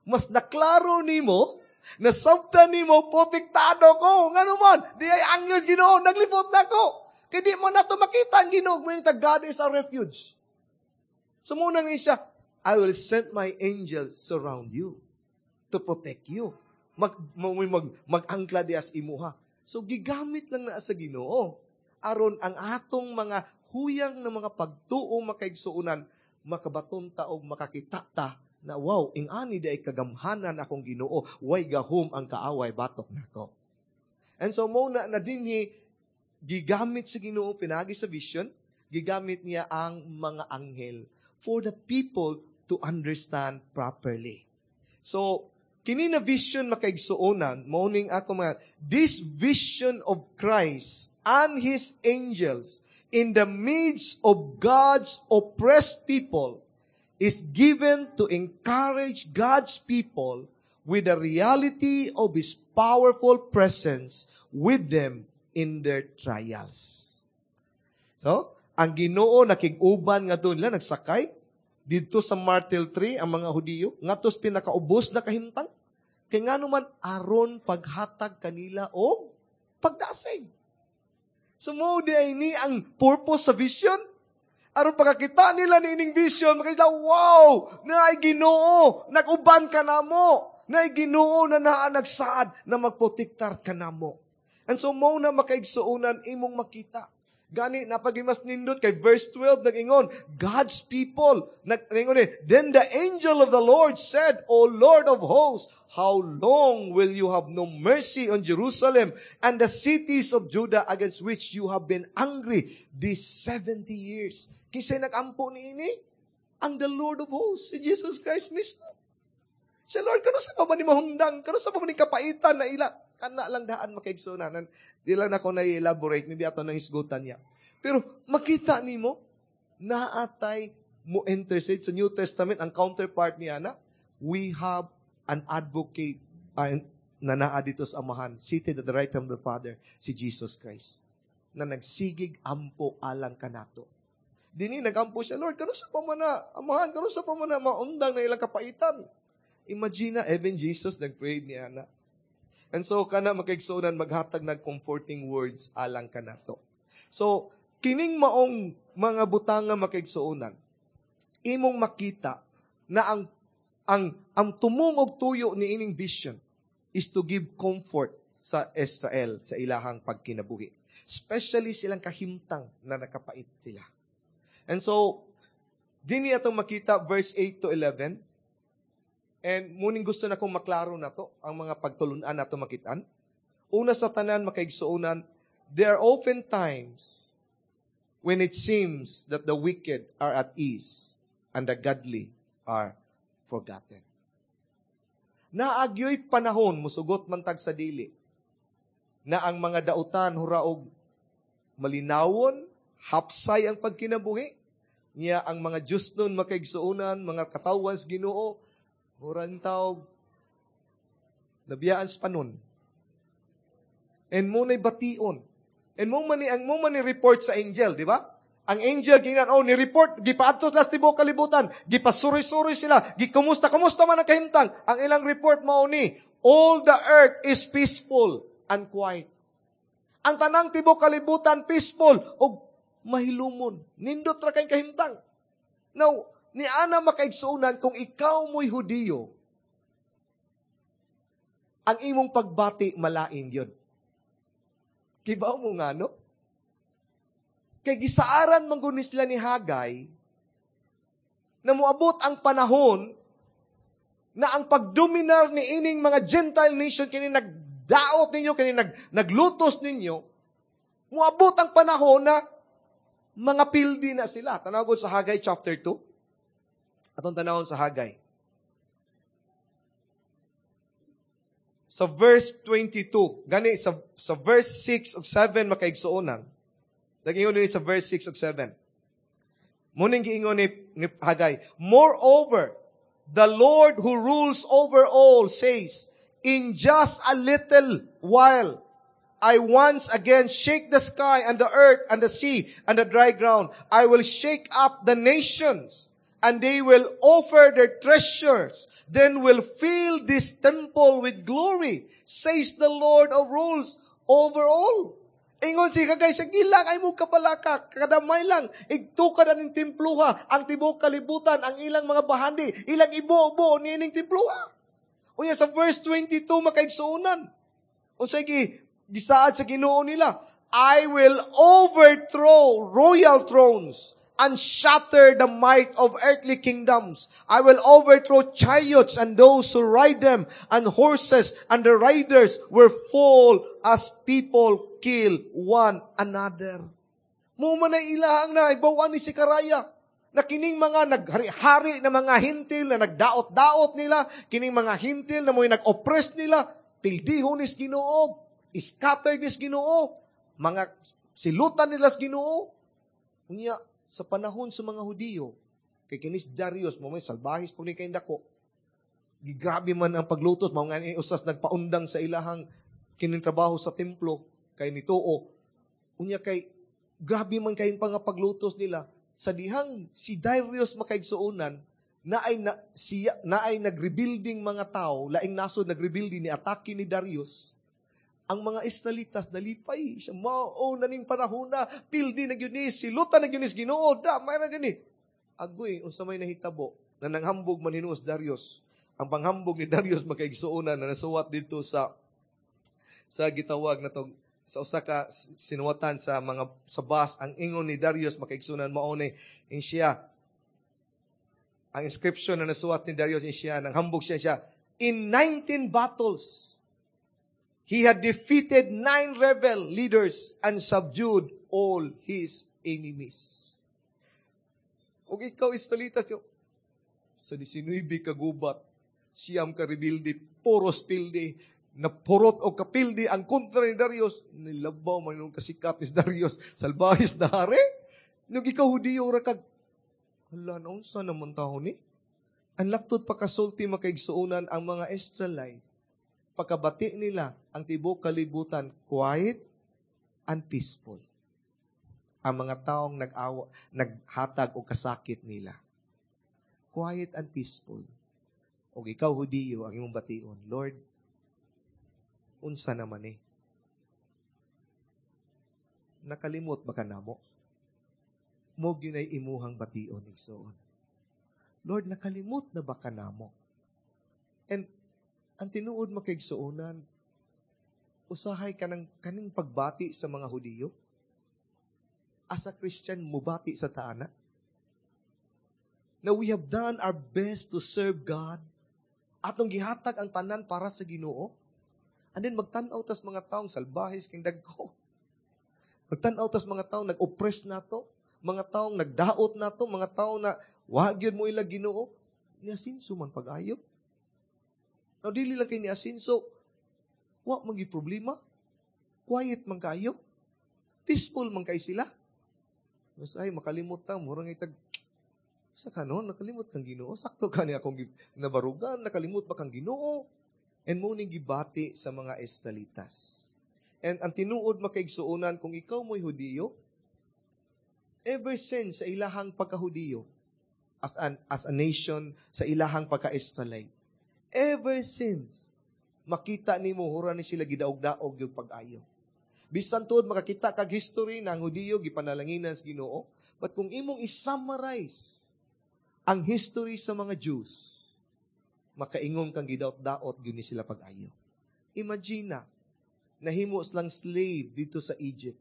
Mas naklaro nimo, nasabtan nimo, protektado ko. Ngano man, di ay anghel sa Ginoo, naglibot na ko. Kay di mo na to makita ang Ginoo, may God is our refuge. So muna ni siya, "I will send my angels surround you to protect you." Mag mag mag-angkla dias imuha. So gigamit lang na sa Ginoo aron ang atong mga huyang na mga pagtuo, makaigsuonan, makabaton ta og makakita ta na, "Wow, ing-ani di ay kagamhanan akong Ginoo, way gahom ang kaaway batok nako." And so mo na na dinhi gigamit sa Ginoo pinagi sa vision, gigamit niya ang mga anghel for the people to understand properly. So kini na vision, makaigsuonan, mao ning ako mga this vision of Christ and his angels in the midst of God's oppressed people is given to encourage God's people with the reality of His powerful presence with them in their trials. So, ang Ginoo nakig-uban nga doon nila nagsakay didto sa myrtle tree ang mga Hudiyo ngadto sa pinakaubos na kahimtang. Kay ngano man, aron paghatag kanila og pagdasig. So mo di ay ni ang purpose sa vision. Aron pagkakita nila ni ining vision, makita, "Wow, naay Ginoo, nag-uban ka namo. Naay Ginoo na naa nagsaad na magprotektar ka namo." And so mo na, makaigsuonan, imong makita. Gani napagimas nindot kay verse 12 nag-ingon, God's people, nag-ingon ni, "Then the angel of the Lord said, 'O Lord of hosts, how long will you have no mercy on Jerusalem and the cities of Judah against which you have been angry these 70 years?'" Kinsay nag-ampo ni ini? Ang the Lord of hosts, si Jesus Christ mismo. Siya, "Lord, kanus-a pa ba ni mahundang? Kanus-a pa ba ni kapaitan na ila?" Kana lang daan, makaigsuonan. Di lang nako na-elaborate, maybe ato nang hisgutan niya. Pero makita nimo, naatay mo intercede sa New Testament, ang counterpart niya na, we have an advocate na naa dito sa Amahan, seated at the right hand of the Father, si Jesus Christ, na nagsigig ampo alang kanato. Dini nagampo siya, "Lord, kanus-a pa man na, Amahan, kanus-a pa man na maundang na ilang kapaitan?" Imagine na, even Jesus nag-pray niya na. And so, kana, makaigsuonan, maghatag nag comforting words alang kanato. So, kining maong mga butanga, makaigsuonan, imong makita na ang tumong og tuyo ni ining vision is to give comfort sa Israel sa ilahang pagkinabuhi. Especially silang kahimtang na nakapait sila. And so, dini atong makita verse 8 to 11. And muning gusto na kong maklaro na to, ang mga pagtulunan nato makitaan. Una sa tanan, makaigsuonan, there are often times when it seems that the wicked are at ease and the godly are forgotten. Naagyoy panahon, musugot man tag sa dili, na ang mga dautan huraog malinawon, hapsay ang pagkinabuhi, niya ang mga Diyos nun, makaigsuonan, mga katawan sa Ginoo, murang tawag, nabiyaan sa panon. And mo na'y bation. And mo man ni, ang mo man ni report sa angel, di ba? Ang angel giingnan, oh, ni-report, gipaadto sila sa tibuok kalibutan, gipasuri-suri sila, gikumusta, kumusta man ang kahimtang. Ang ilang report mao ni, "All the earth is peaceful and quiet." Ang tanang tibuok kalibutan peaceful ug mahilumon. Nindot ra kay kahimtang. Now, ni ana, makaigsuonan, kung ikaw mo'y Hudiyo, ang imong pagbati malain yun. Kibaw mo nga, no? Kay gisaaran man gud sila ni Hagay na moabot ang panahon na ang pagdominar ni ining mga Gentile nation, kini nagdaot ninyo, kini naglutos ninyo, moabot ang panahon na mga pildi na sila. Tanawon sa Hagay chapter 2. Atong tanawon sa Hagay. Sa verse 22, gani sa verse 6 ug 7, makaigsuonan. Nag-ingon ni sa verse 6 ug 7. Muning giingon ni Hagay, "Moreover, the Lord who rules over all says, 'In just a little while, I once again shake the sky and the earth and the sea and the dry ground. I will shake up the nations, and they will offer their treasures. Then will fill this temple with glory, says the Lord of rules over all.'" Ingon si Hagay, "Sige lang, ay mo kabalaka, kadamay lang, igtukad ang templuha, ang tibuok kalibutan, ang ilang mga bahandi, ilang ibo-bo ni ining templuha." Unya sa verse 22, makaigsuonan, unsay gisaad sa Ginoo nila? "I will overthrow royal thrones and shatter the might of earthly kingdoms. I will overthrow chariots and those who ride them, and horses and the riders will fall as people kill one another." Mo man ay ilahang na ibawan ni Zechariah na kining mga naghari-hari na mga Hentil na nagdaot-daot nila, kining mga Hentil na mo'y nag-oppress nila, pildihon nis Ginoo, scatter nis Ginoo, mga silutan nila sa Ginoo. Unya, sa panahon sa mga Hudiyo, kay kinis Darius, mo may salbahis po ni kay dako, gigrabe man ang paglutos, mao nga ni usas nagpaundang sa ilahang kining trabaho sa templo, kay nituo. Unya kay, grabe man kayong pangapaglutos nila, sa dihang si Darius, makaigsuonan, na ay, na ay nagrebuilding mga tao, laing nasod nagrebuilding, ni atake ni Darius, ang mga Israelitas nalipay siya. Mao na ning panahon na, pildi na gyud ni, silutan na gyud ni Ginoo, da, may na gani. Agoy, unsa may nahitabo, na nanghambog man hinuos Darius. Ang panghambog ni Darius, makaigsuonan, na nasuwat dito sa gitawag na tong sa usa ka sinuwatan sa mga sa bus, ang ingon ni Darius, makaigsuonan, mao ni in siya ang inscription na nasuwat ni Darius in siya nang hambog siya siya in 19 battles he had defeated 9 rebel leaders and subdued all his enemies. Ug ikaw, Israelitas, yo, sa 19 ka gubat, 9 ka rebelde, puros pildi, napurot o kapildi ang kontra ni Darius, nilabaw man yung kasikat ni Darius, salbahis na hari. Nung ikaw Hudiyo ra kag, hala, naunsa naman tao ni? Ang laktod pa kasulti, makaigsuonan, ang mga Israelite, pagkabati nila ang tibuok kalibutan, quiet and peaceful. Ang mga taong nag-awa, naghatag og kasakit nila. Quiet and peaceful. O ikaw, Hudiyo, ang imong bation, "Lord, unsa naman eh? Nakalimot ba ka namo?" Mo gyud ay imuhang bation, igsoon. "Lord, nakalimot na ba ka namo?" And ang tinuod, makaigsuonan, usahay ka ng kaning pagbati sa mga Hudiyo. As a Christian, mubati sa taana. Na we have done our best to serve God. Atong gihatag ang tanan para sa Ginoo. And then magtan-aw tas mga taong salbahis king dagko. Magtan-aw tas mga taong nag-oppress nato, mga taong nagdaot nato, mga taong na wa gyud mo ila Ginoo. Niasinso man pag-ayo. Now, dili lang kay niasinso, wa man gyud problema. Quiet man kayo. Peaceful man kay sila. Mas ay, makalimot ta, murang itag, sa kanon, nakalimot kang Ginoo. Sakto ka ni akong nabarugan, nakalimot ba kang Ginoo? And mo ning gibati sa mga Israelitas. And ang tinuod, makaigsuonan, kung ikaw mo'y Hudiyo, Ever since sa ilahang pagkahudiyo, as a nation, sa ilahang pagka-Israelite, ever since, makita nimo hura ni sila gidaog-daog yung pag-ayo. Bisan tuod makakita kag history na ang Hudiyo gipanalanginan sa Ginoo, but kung imong i-summarize ang history sa mga Jews, makaingon kang gidaot-daot gyud ni sila pag-ayo. Imagine na, nahimo silang slave dito sa Egypt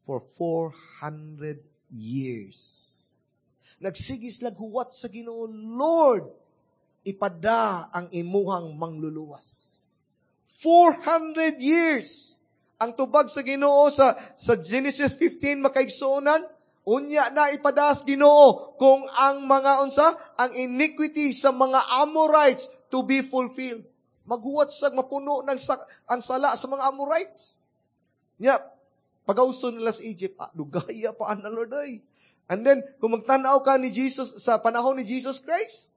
for 400 years. Nagsige sila huwat sa Ginoo, "Lord, ipada ang imuhang mangluluwas." 400 years! Ang tubag sa Ginoo sa Genesis 15, makaigsuonan, unya na ipadas Ginoo kung ang mga unsa, ang iniquity sa mga Amorites to be fulfilled. Maghuwat sa mapuno ng sa, ang sala sa mga Amorites. Nya, pagauson nila sa Egypt, ah, dugaya pa na, Lord ay. And then, kung magtanaw ka ni Jesus, sa panahon ni Jesus Christ,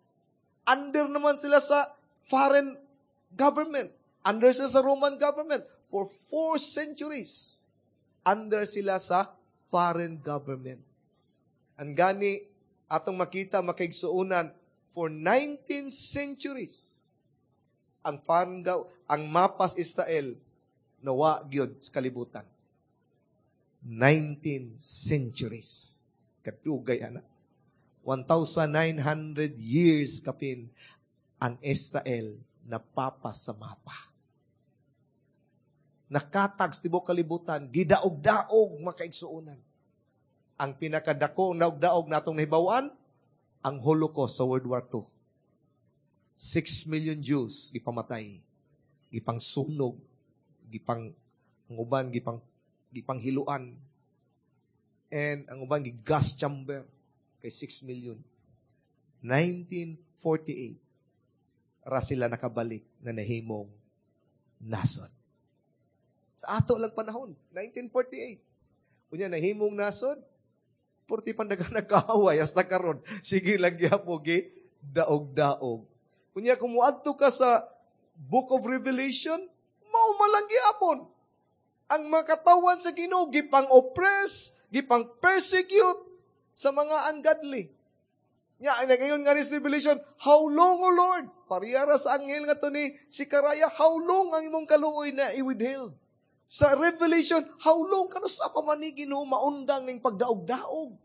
under naman sila sa foreign government. Under sila sa Roman government. For 4 centuries, under sila sa foreign government. Ang gani, atong makita, makaigsuunan, for 19 centuries, ang mapas Israel, nawa gyud sa kalibutan. 19 centuries. Kadugay ana. 1,900 years kapin ang Israel napapa sa mapa. Nakatag sa tibok kalibutan, gidaog-daog, makaigsuonan. Ang pinakadako daog-daog natong nahibawan, ang Holocaust sa World War II. 6 million Jews gipamatay, gipang sunog, gipang ang uban gipang hiluan. And ang uban gi gas chamber kay 6 million. 1948 ra sila nakabalik na nahimong nasod. Sa ato lang panahon, 1948. Unya nahimong nasod, purti pandaga nagkaaway hasta karon. Sige lang gyapon gi daog-daog. Unya kung muadto ka sa Book of Revelation, mao man lang gyapon. Ang mga katawan sa Ginoo gipang oppress, gipang persecute sa mga ungodly. Nya, ngayon nga ni Revelation, "How long, O Lord?" Parehara sa anghel nga to ni Zechariah, "How long ang imong kaluoy na i-withheld?" Sa Revelation, "How long kanus-a pa man ni, Ginoo, maundang ning pagdaog-daog?"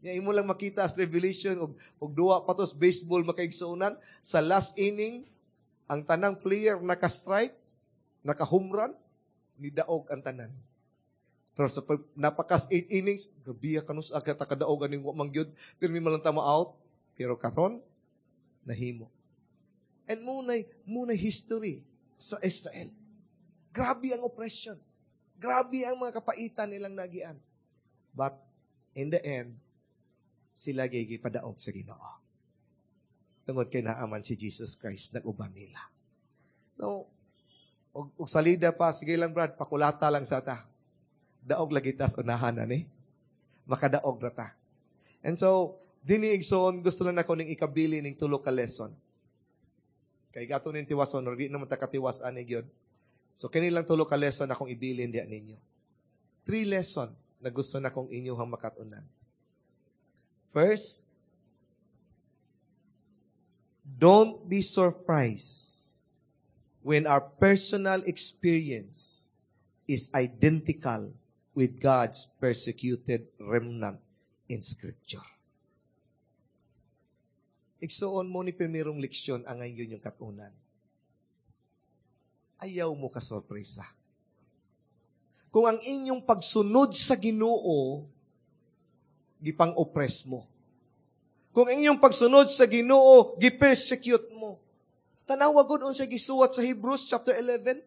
Nya imo lang makita sa Revelation og duwa pa tos baseball, makaigsuonan, sa last inning ang tanang player naka-strike, naka-home run, nidaog ang tanan. Pero sa pag, napakas 8 innings, gabiya kanus agad kadaog aning wa man gyud, pero man lang ta out. Pero karon nahimo. And munay history sa Israel. Grabe ang oppression. Grabe ang mga kapaitan nilang nagian. But in the end, sila gyud gipadaog sa Ginoo. Tungod kay naaman si Jesus Christ nag-uban nila. No, og salida pa, sige lang, Brad, pakulata lang sa ta. Daog lagi tas unahan ani. Makadaog ra ta. And so, dini, igsoon, gusto lang nako ning ikabili ning tulo ka lesson. Kay gato ning tiwason, or di naman ta katiwas ani gyud. So kini lang tulo ka lesson akong ibilin diya ninyo. Three lesson na gusto na kong inyong makatunan. First, don't be surprised when our personal experience is identical with God's persecuted remnant in Scripture. Igsuon mo ni primerong leksyon ang ngayon yung katunan. Ayaw mo ka sorpresa. Kung ang inyong pagsunod sa Ginoo, gipang-oppress mo. Kung ang inyong pagsunod sa Ginoo, gi-persecute mo. Tanawa gud unsa gisuwat sa Hebrews chapter 11.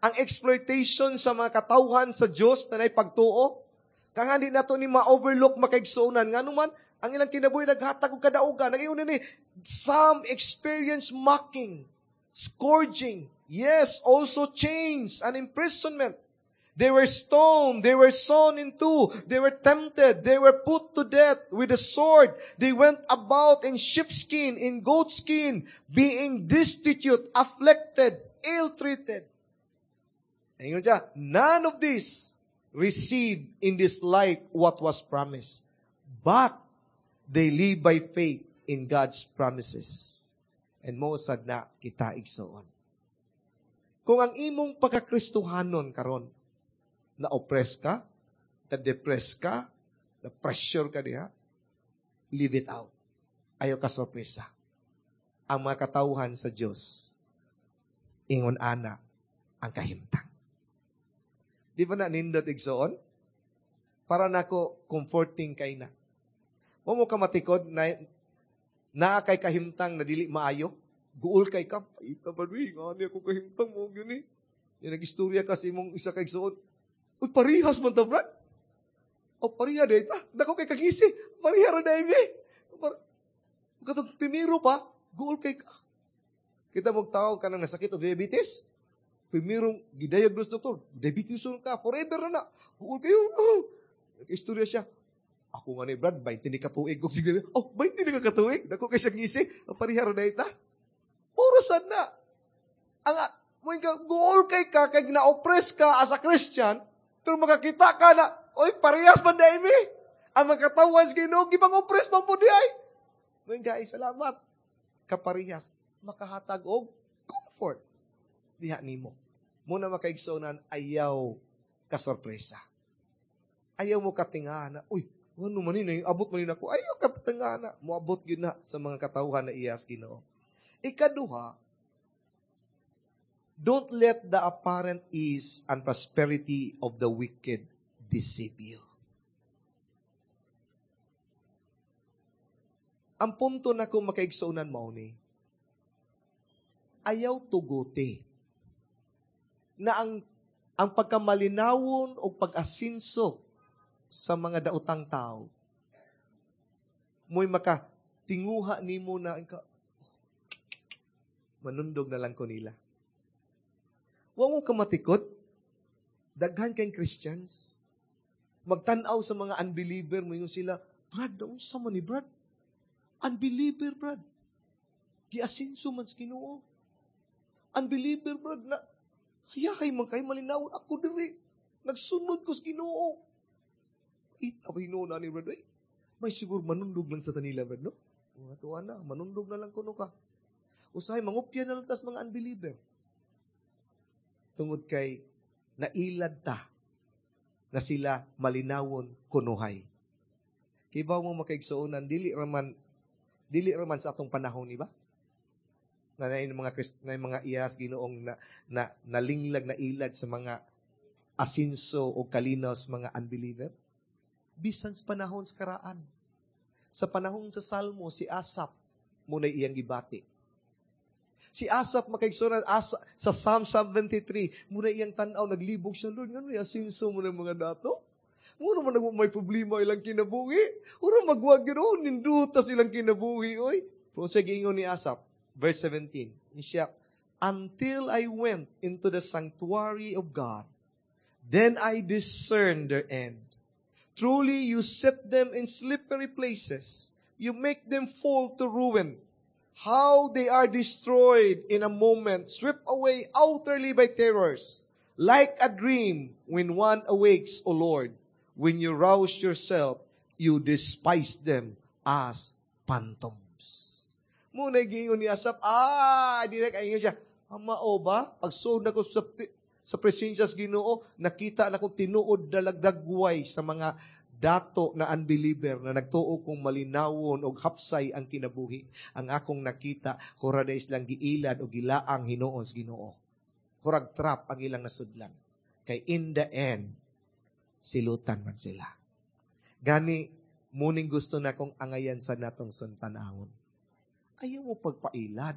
Ang exploitation sa mga katawhan sa Dios na pagtuo. Kang hindi nato ni ma-overlook, makaigsuonan. Nga naman, ang ilang kinabuhi naghatag og kadaugan. Nagayon ni some experience mocking, scourging, yes, also chains and imprisonment. They were stoned, they were sawn in two, they were tempted, they were put to death with a sword. They went about in sheepskin, in goatskin, being destitute, afflicted, ill-treated. Ingon siya, none of this receive in this life what was promised, but they live by faith in God's promises. And mao sad na kita, igsoon. Kung ang imong pagkakristohanon karon, na-oppress ka, na-depress ka, na-pressure ka diha, leave it out. Ayaw ka sorpresa. Ang mga katawhan sa Diyos, ingon ana ang kahimtang. Di ba na nindot, igsoon? Para nako comforting kay na. Wa mo ka matikod na naa kay kahimtang na dili maayo. Guol kay ka. Ita ba ni? Ngani ako kahimtang mo gyud ni. Yung nag-istorya ka sa imong isa kay igsoon. "Uy, parihas man ta, Brad. O, pariha day ta. Dako kay kagisi. Pariha ra day mi." Katong primero pa, guol kay ka. Kita mo tao ka nang nasakit og diabetes. Primero, gidiagnose doktor, diabetes ka, forever na na. Guol kayo. Oh. Istorya siya. "Ako nga ni Brad, 20 ni katuig ko siguro." "Oh, 20 ni ka katuig. Dako kay siya ngisi. Pariha ra day ta." Puro sad na. Ang mo guol kay ka kay na-oppress ka as a Christian, pero makakita ka na, "Oy, parehas man day mi. Ang mga katawan sa Ginoo gipang oppress man po di ay." Mo guys, salamat. Kaparehas makahatag og comfort diha nimo. Muna makaigsuonan, ayaw kasorpresa. Ayaw mo katinga na, "Uy, ano man ni, abot man ni nako." Ayaw katinga na, moabot gyud na sa mga katawhan na iyas Ginoo. Ikaduha, don't let the apparent ease and prosperity of the wicked deceive you. Ang punto na kung makaigsuonan mao ni, ayaw tuguti na ang pagkamalinawon o pag-asinso sa mga daotang tao, mo'y makatinguha nimo na, ka, "Oh, manundog na lang ko nila." Wa mo kamatikod, daghan kay Christians, magtan-aw sa mga unbeliever, mo sila, "Brad, unsa man ni Brad? Unbeliever, Brad. Giasinso man sa Ginoo. Unbeliever, Brad, na, hayahay man kay malinawon ako diri. Nagsunod ko sa Ginoo. Ita pa Ginoo na ni Brad, ay, may siguro manundog lang sa tanila, Brad, no? Mga tuwa na, manundog na lang kuno ka. Usahay, mangupya na lang tas mga unbeliever." Tungod kay nailad ta na sila malinawon kunuhay. Kibaw mo makaigsuonan, dili raman sa atong panahon, di ba? Na mga Christ, na mga iyas Ginoong na nalinglag na ilad sa mga asinso o kalinaw sa mga unbeliever. Bisan sa panahon sa karaan. Sa panahon sa Salmo, si Asap muna iyang gibati. Si Asap makaigsuonan asa, sa Psalm 73, muna iyang tan-aw, naglibog siya, "Lord, ngano asinso mo ng mga dato? Muna man may problema ilang kinabuhi. Ura magwag yun, oh, nindutas ilang kinabuhi, oy." Kung sa giingon ni Asap, verse 17, siya, "Until I went into the sanctuary of God, then I discerned their end. Truly, you set them in slippery places. You make them fall to ruin. How they are destroyed in a moment, swept away utterly by terrors. Like a dream when one awakes, O Lord, when you rouse yourself, you despise them as phantoms." Muna giingon ni Asap, direct ay siya, "Mao ba? Pagsuod na ko sa presensya sa Ginoo, nakita na ko tinuod dalagdagway sa mga dato na unbeliever na nagtuo kong malinawon og hapsay ang kinabuhi. Ang akong nakita, hura days lang giilad o gilaang hinuon sa Ginoo. Hurag trap ang ilang nasudlan. Kay in the end, silutan man sila." Gani, muning gusto na kong angayan sa natong suntanawon. Ayaw mo pagpailad.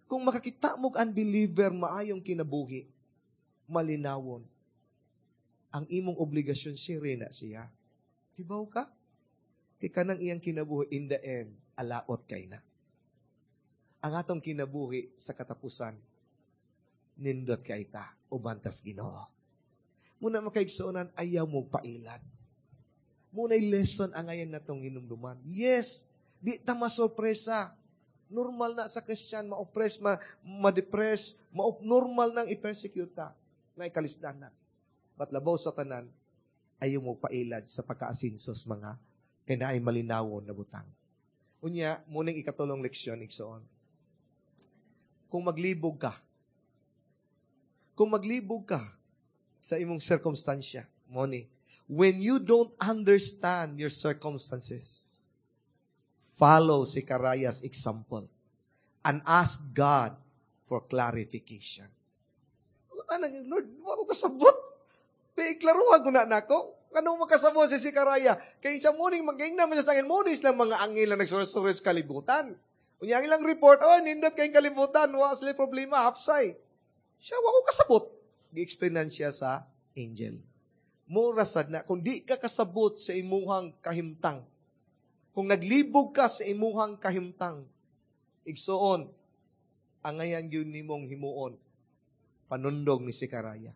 Kung makakita mo unbeliever maayong kinabuhi, malinawon, ang imong obligasyon, share na siya. Hibaw ka? Kay kanang iyang kinabuhi, in the end, alaot kay na. Ang atong kinabuhi sa katapusan, nindot kay ta, ubantas Ginoo. Muna makaigsuonan, ayaw mo pailad. Muna'y lesson ang ngayon natong hinumduman. Yes, di ta masorpresa. Normal na sa Christian, ma-oppress, ma-depress, normal nang i-persecute ta, na ikalisdan na. But labaw sa tanan, ayaw mo pailad sa pagkaasinsos mga kay naay malinawon na butang. Unya, muning ikatulong leksyon, igsoon. Kung maglibog ka sa imong sirkumstansya, moni, when you don't understand your circumstances, follow Zechariah's example and ask God for clarification. Anang, "Lord, wa ko kasabot. Iklaruhan ko na nako." Kano makasabot si Zechariah? Kay siya muning mag-ingna man siya sa angel, muni silang mga angel na nagsursuri sa kalibutan. Unya ang ilang report, "Oh, nindot kayong kalibutan, wa sila problema, hapsay." Siya, "Wa ko kasabot." Gi-explainan siya sa angel. Mura sad na, kung di ka kasabot sa imuhang kahimtang, kung naglibog ka sa imuhang kahimtang, igsuon, angayan yun nimong himuon, panundong ni Zechariah.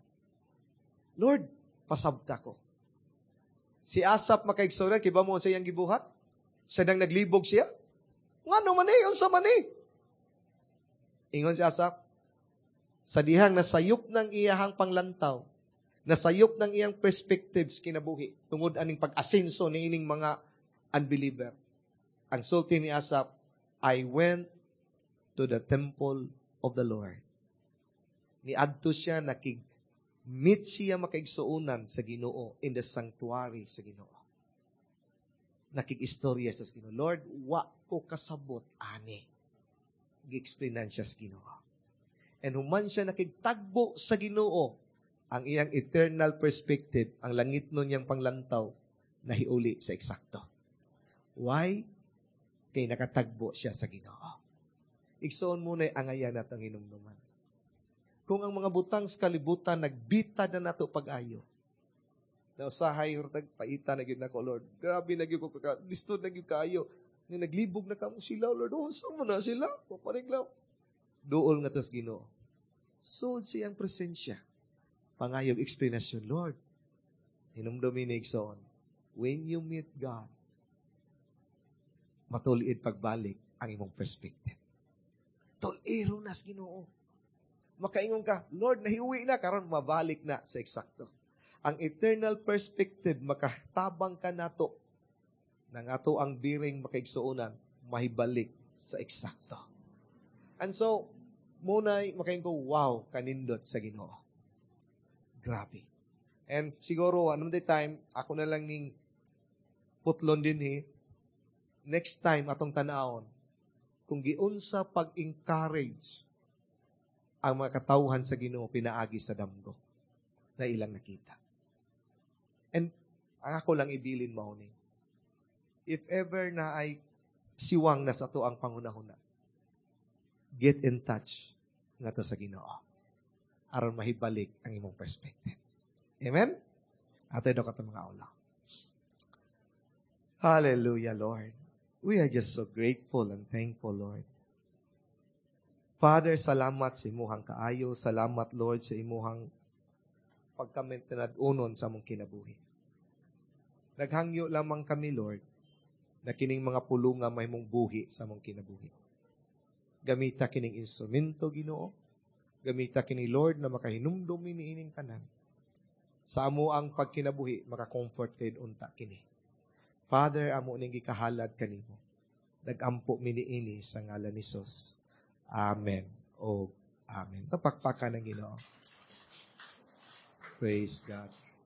"Lord, pasabta ko." Si Asap, makaigsuonan, kibaw mo sa iyang gibuhat? Siya nang naglibog siya? Ngano man eh, unsa man eh? Ingon si Asap, sa dihang nasayop ng iyahang panglantaw, nasayop ng iyang perspectives kinabuhi, tungod aning pag-asenso ni ining mga unbeliever. Ang sulti ni Asap, "I went to the temple of the Lord." Niadto siya, nakig meet siya, makaigsuonan, sa Ginoo in the sanctuary sa Ginoo. Nakig-istorya sa Ginoo. "Lord, wa ko kasabot ani." Gi-explainan siya sa Ginoo. And human siya nakigtagbo sa Ginoo, ang iyang eternal perspective, ang langit nun niyang panglantaw, nahiuli sa eksakto. Why? Kay nakatagbo siya sa Ginoo. Igsoon muna angayan natong hinumduman. Kung ang mga butang sa kalibutan nagbita na nato pag-ayo, na usahay paita na gyud nako, "Lord. Grabe na gyud ko ka listod na gyud kaayo." Nga naglibog na kamo sila, "Lord, oh, unsa mo na sila?" Papariglaw. Duol nga tos Ginoo. Sud siyang presensya. Pangayog explanation, "Lord." Hinumdumi ni, igsoon, when you meet God, matuliid pagbalik ang imong perspective. Tuliro na sa Ginoo. Makaingon ka, "Lord, nahiuwi na, karon mabalik na sa eksakto." Ang eternal perspective, makatabang ka nato, nang ato ang biring, makaigsuonan, mahibalik sa eksakto. And so, muna'y makaingon ko, "Wow, kanindot sa Ginoo." Grabe. And siguro, anong the time, ako na lang ning putlon din eh, next time atong tanawon, kung giunsa pag-encourage ang mga katawhan sa Ginoo pinaagi sa damgo na ilang nakita. And ang ako lang ibilin mao ni, if ever na ay siwang na sa ato ang pangunahuna, get in touch nga to sa Ginoo aron mahibalik ang imong perspective. Amen? Ato daw kato mga ula. Hallelujah, Lord. We are just so grateful and thankful, Lord. Father, salamat sa imuhang kaayo. Salamat, Lord, sa imuhang pagkamintinad-unon sa among kinabuhi. Naghangyo lamang kami, Lord, na kining mga pulunga mahimong buhi sa among kinabuhi. Gamita kining instrumento, Ginoo. Gamita kini, Lord, na makahinumdum ni ining tanan. Sa amo ang pagkinabuhi, maka-comfort kay unta kini. Father, amo ning gikahalad kanimo. Nagampo mi niini sa ngalan ni Jesus. Amen. O amen. Tapakpakan ng Ginoo. Praise God.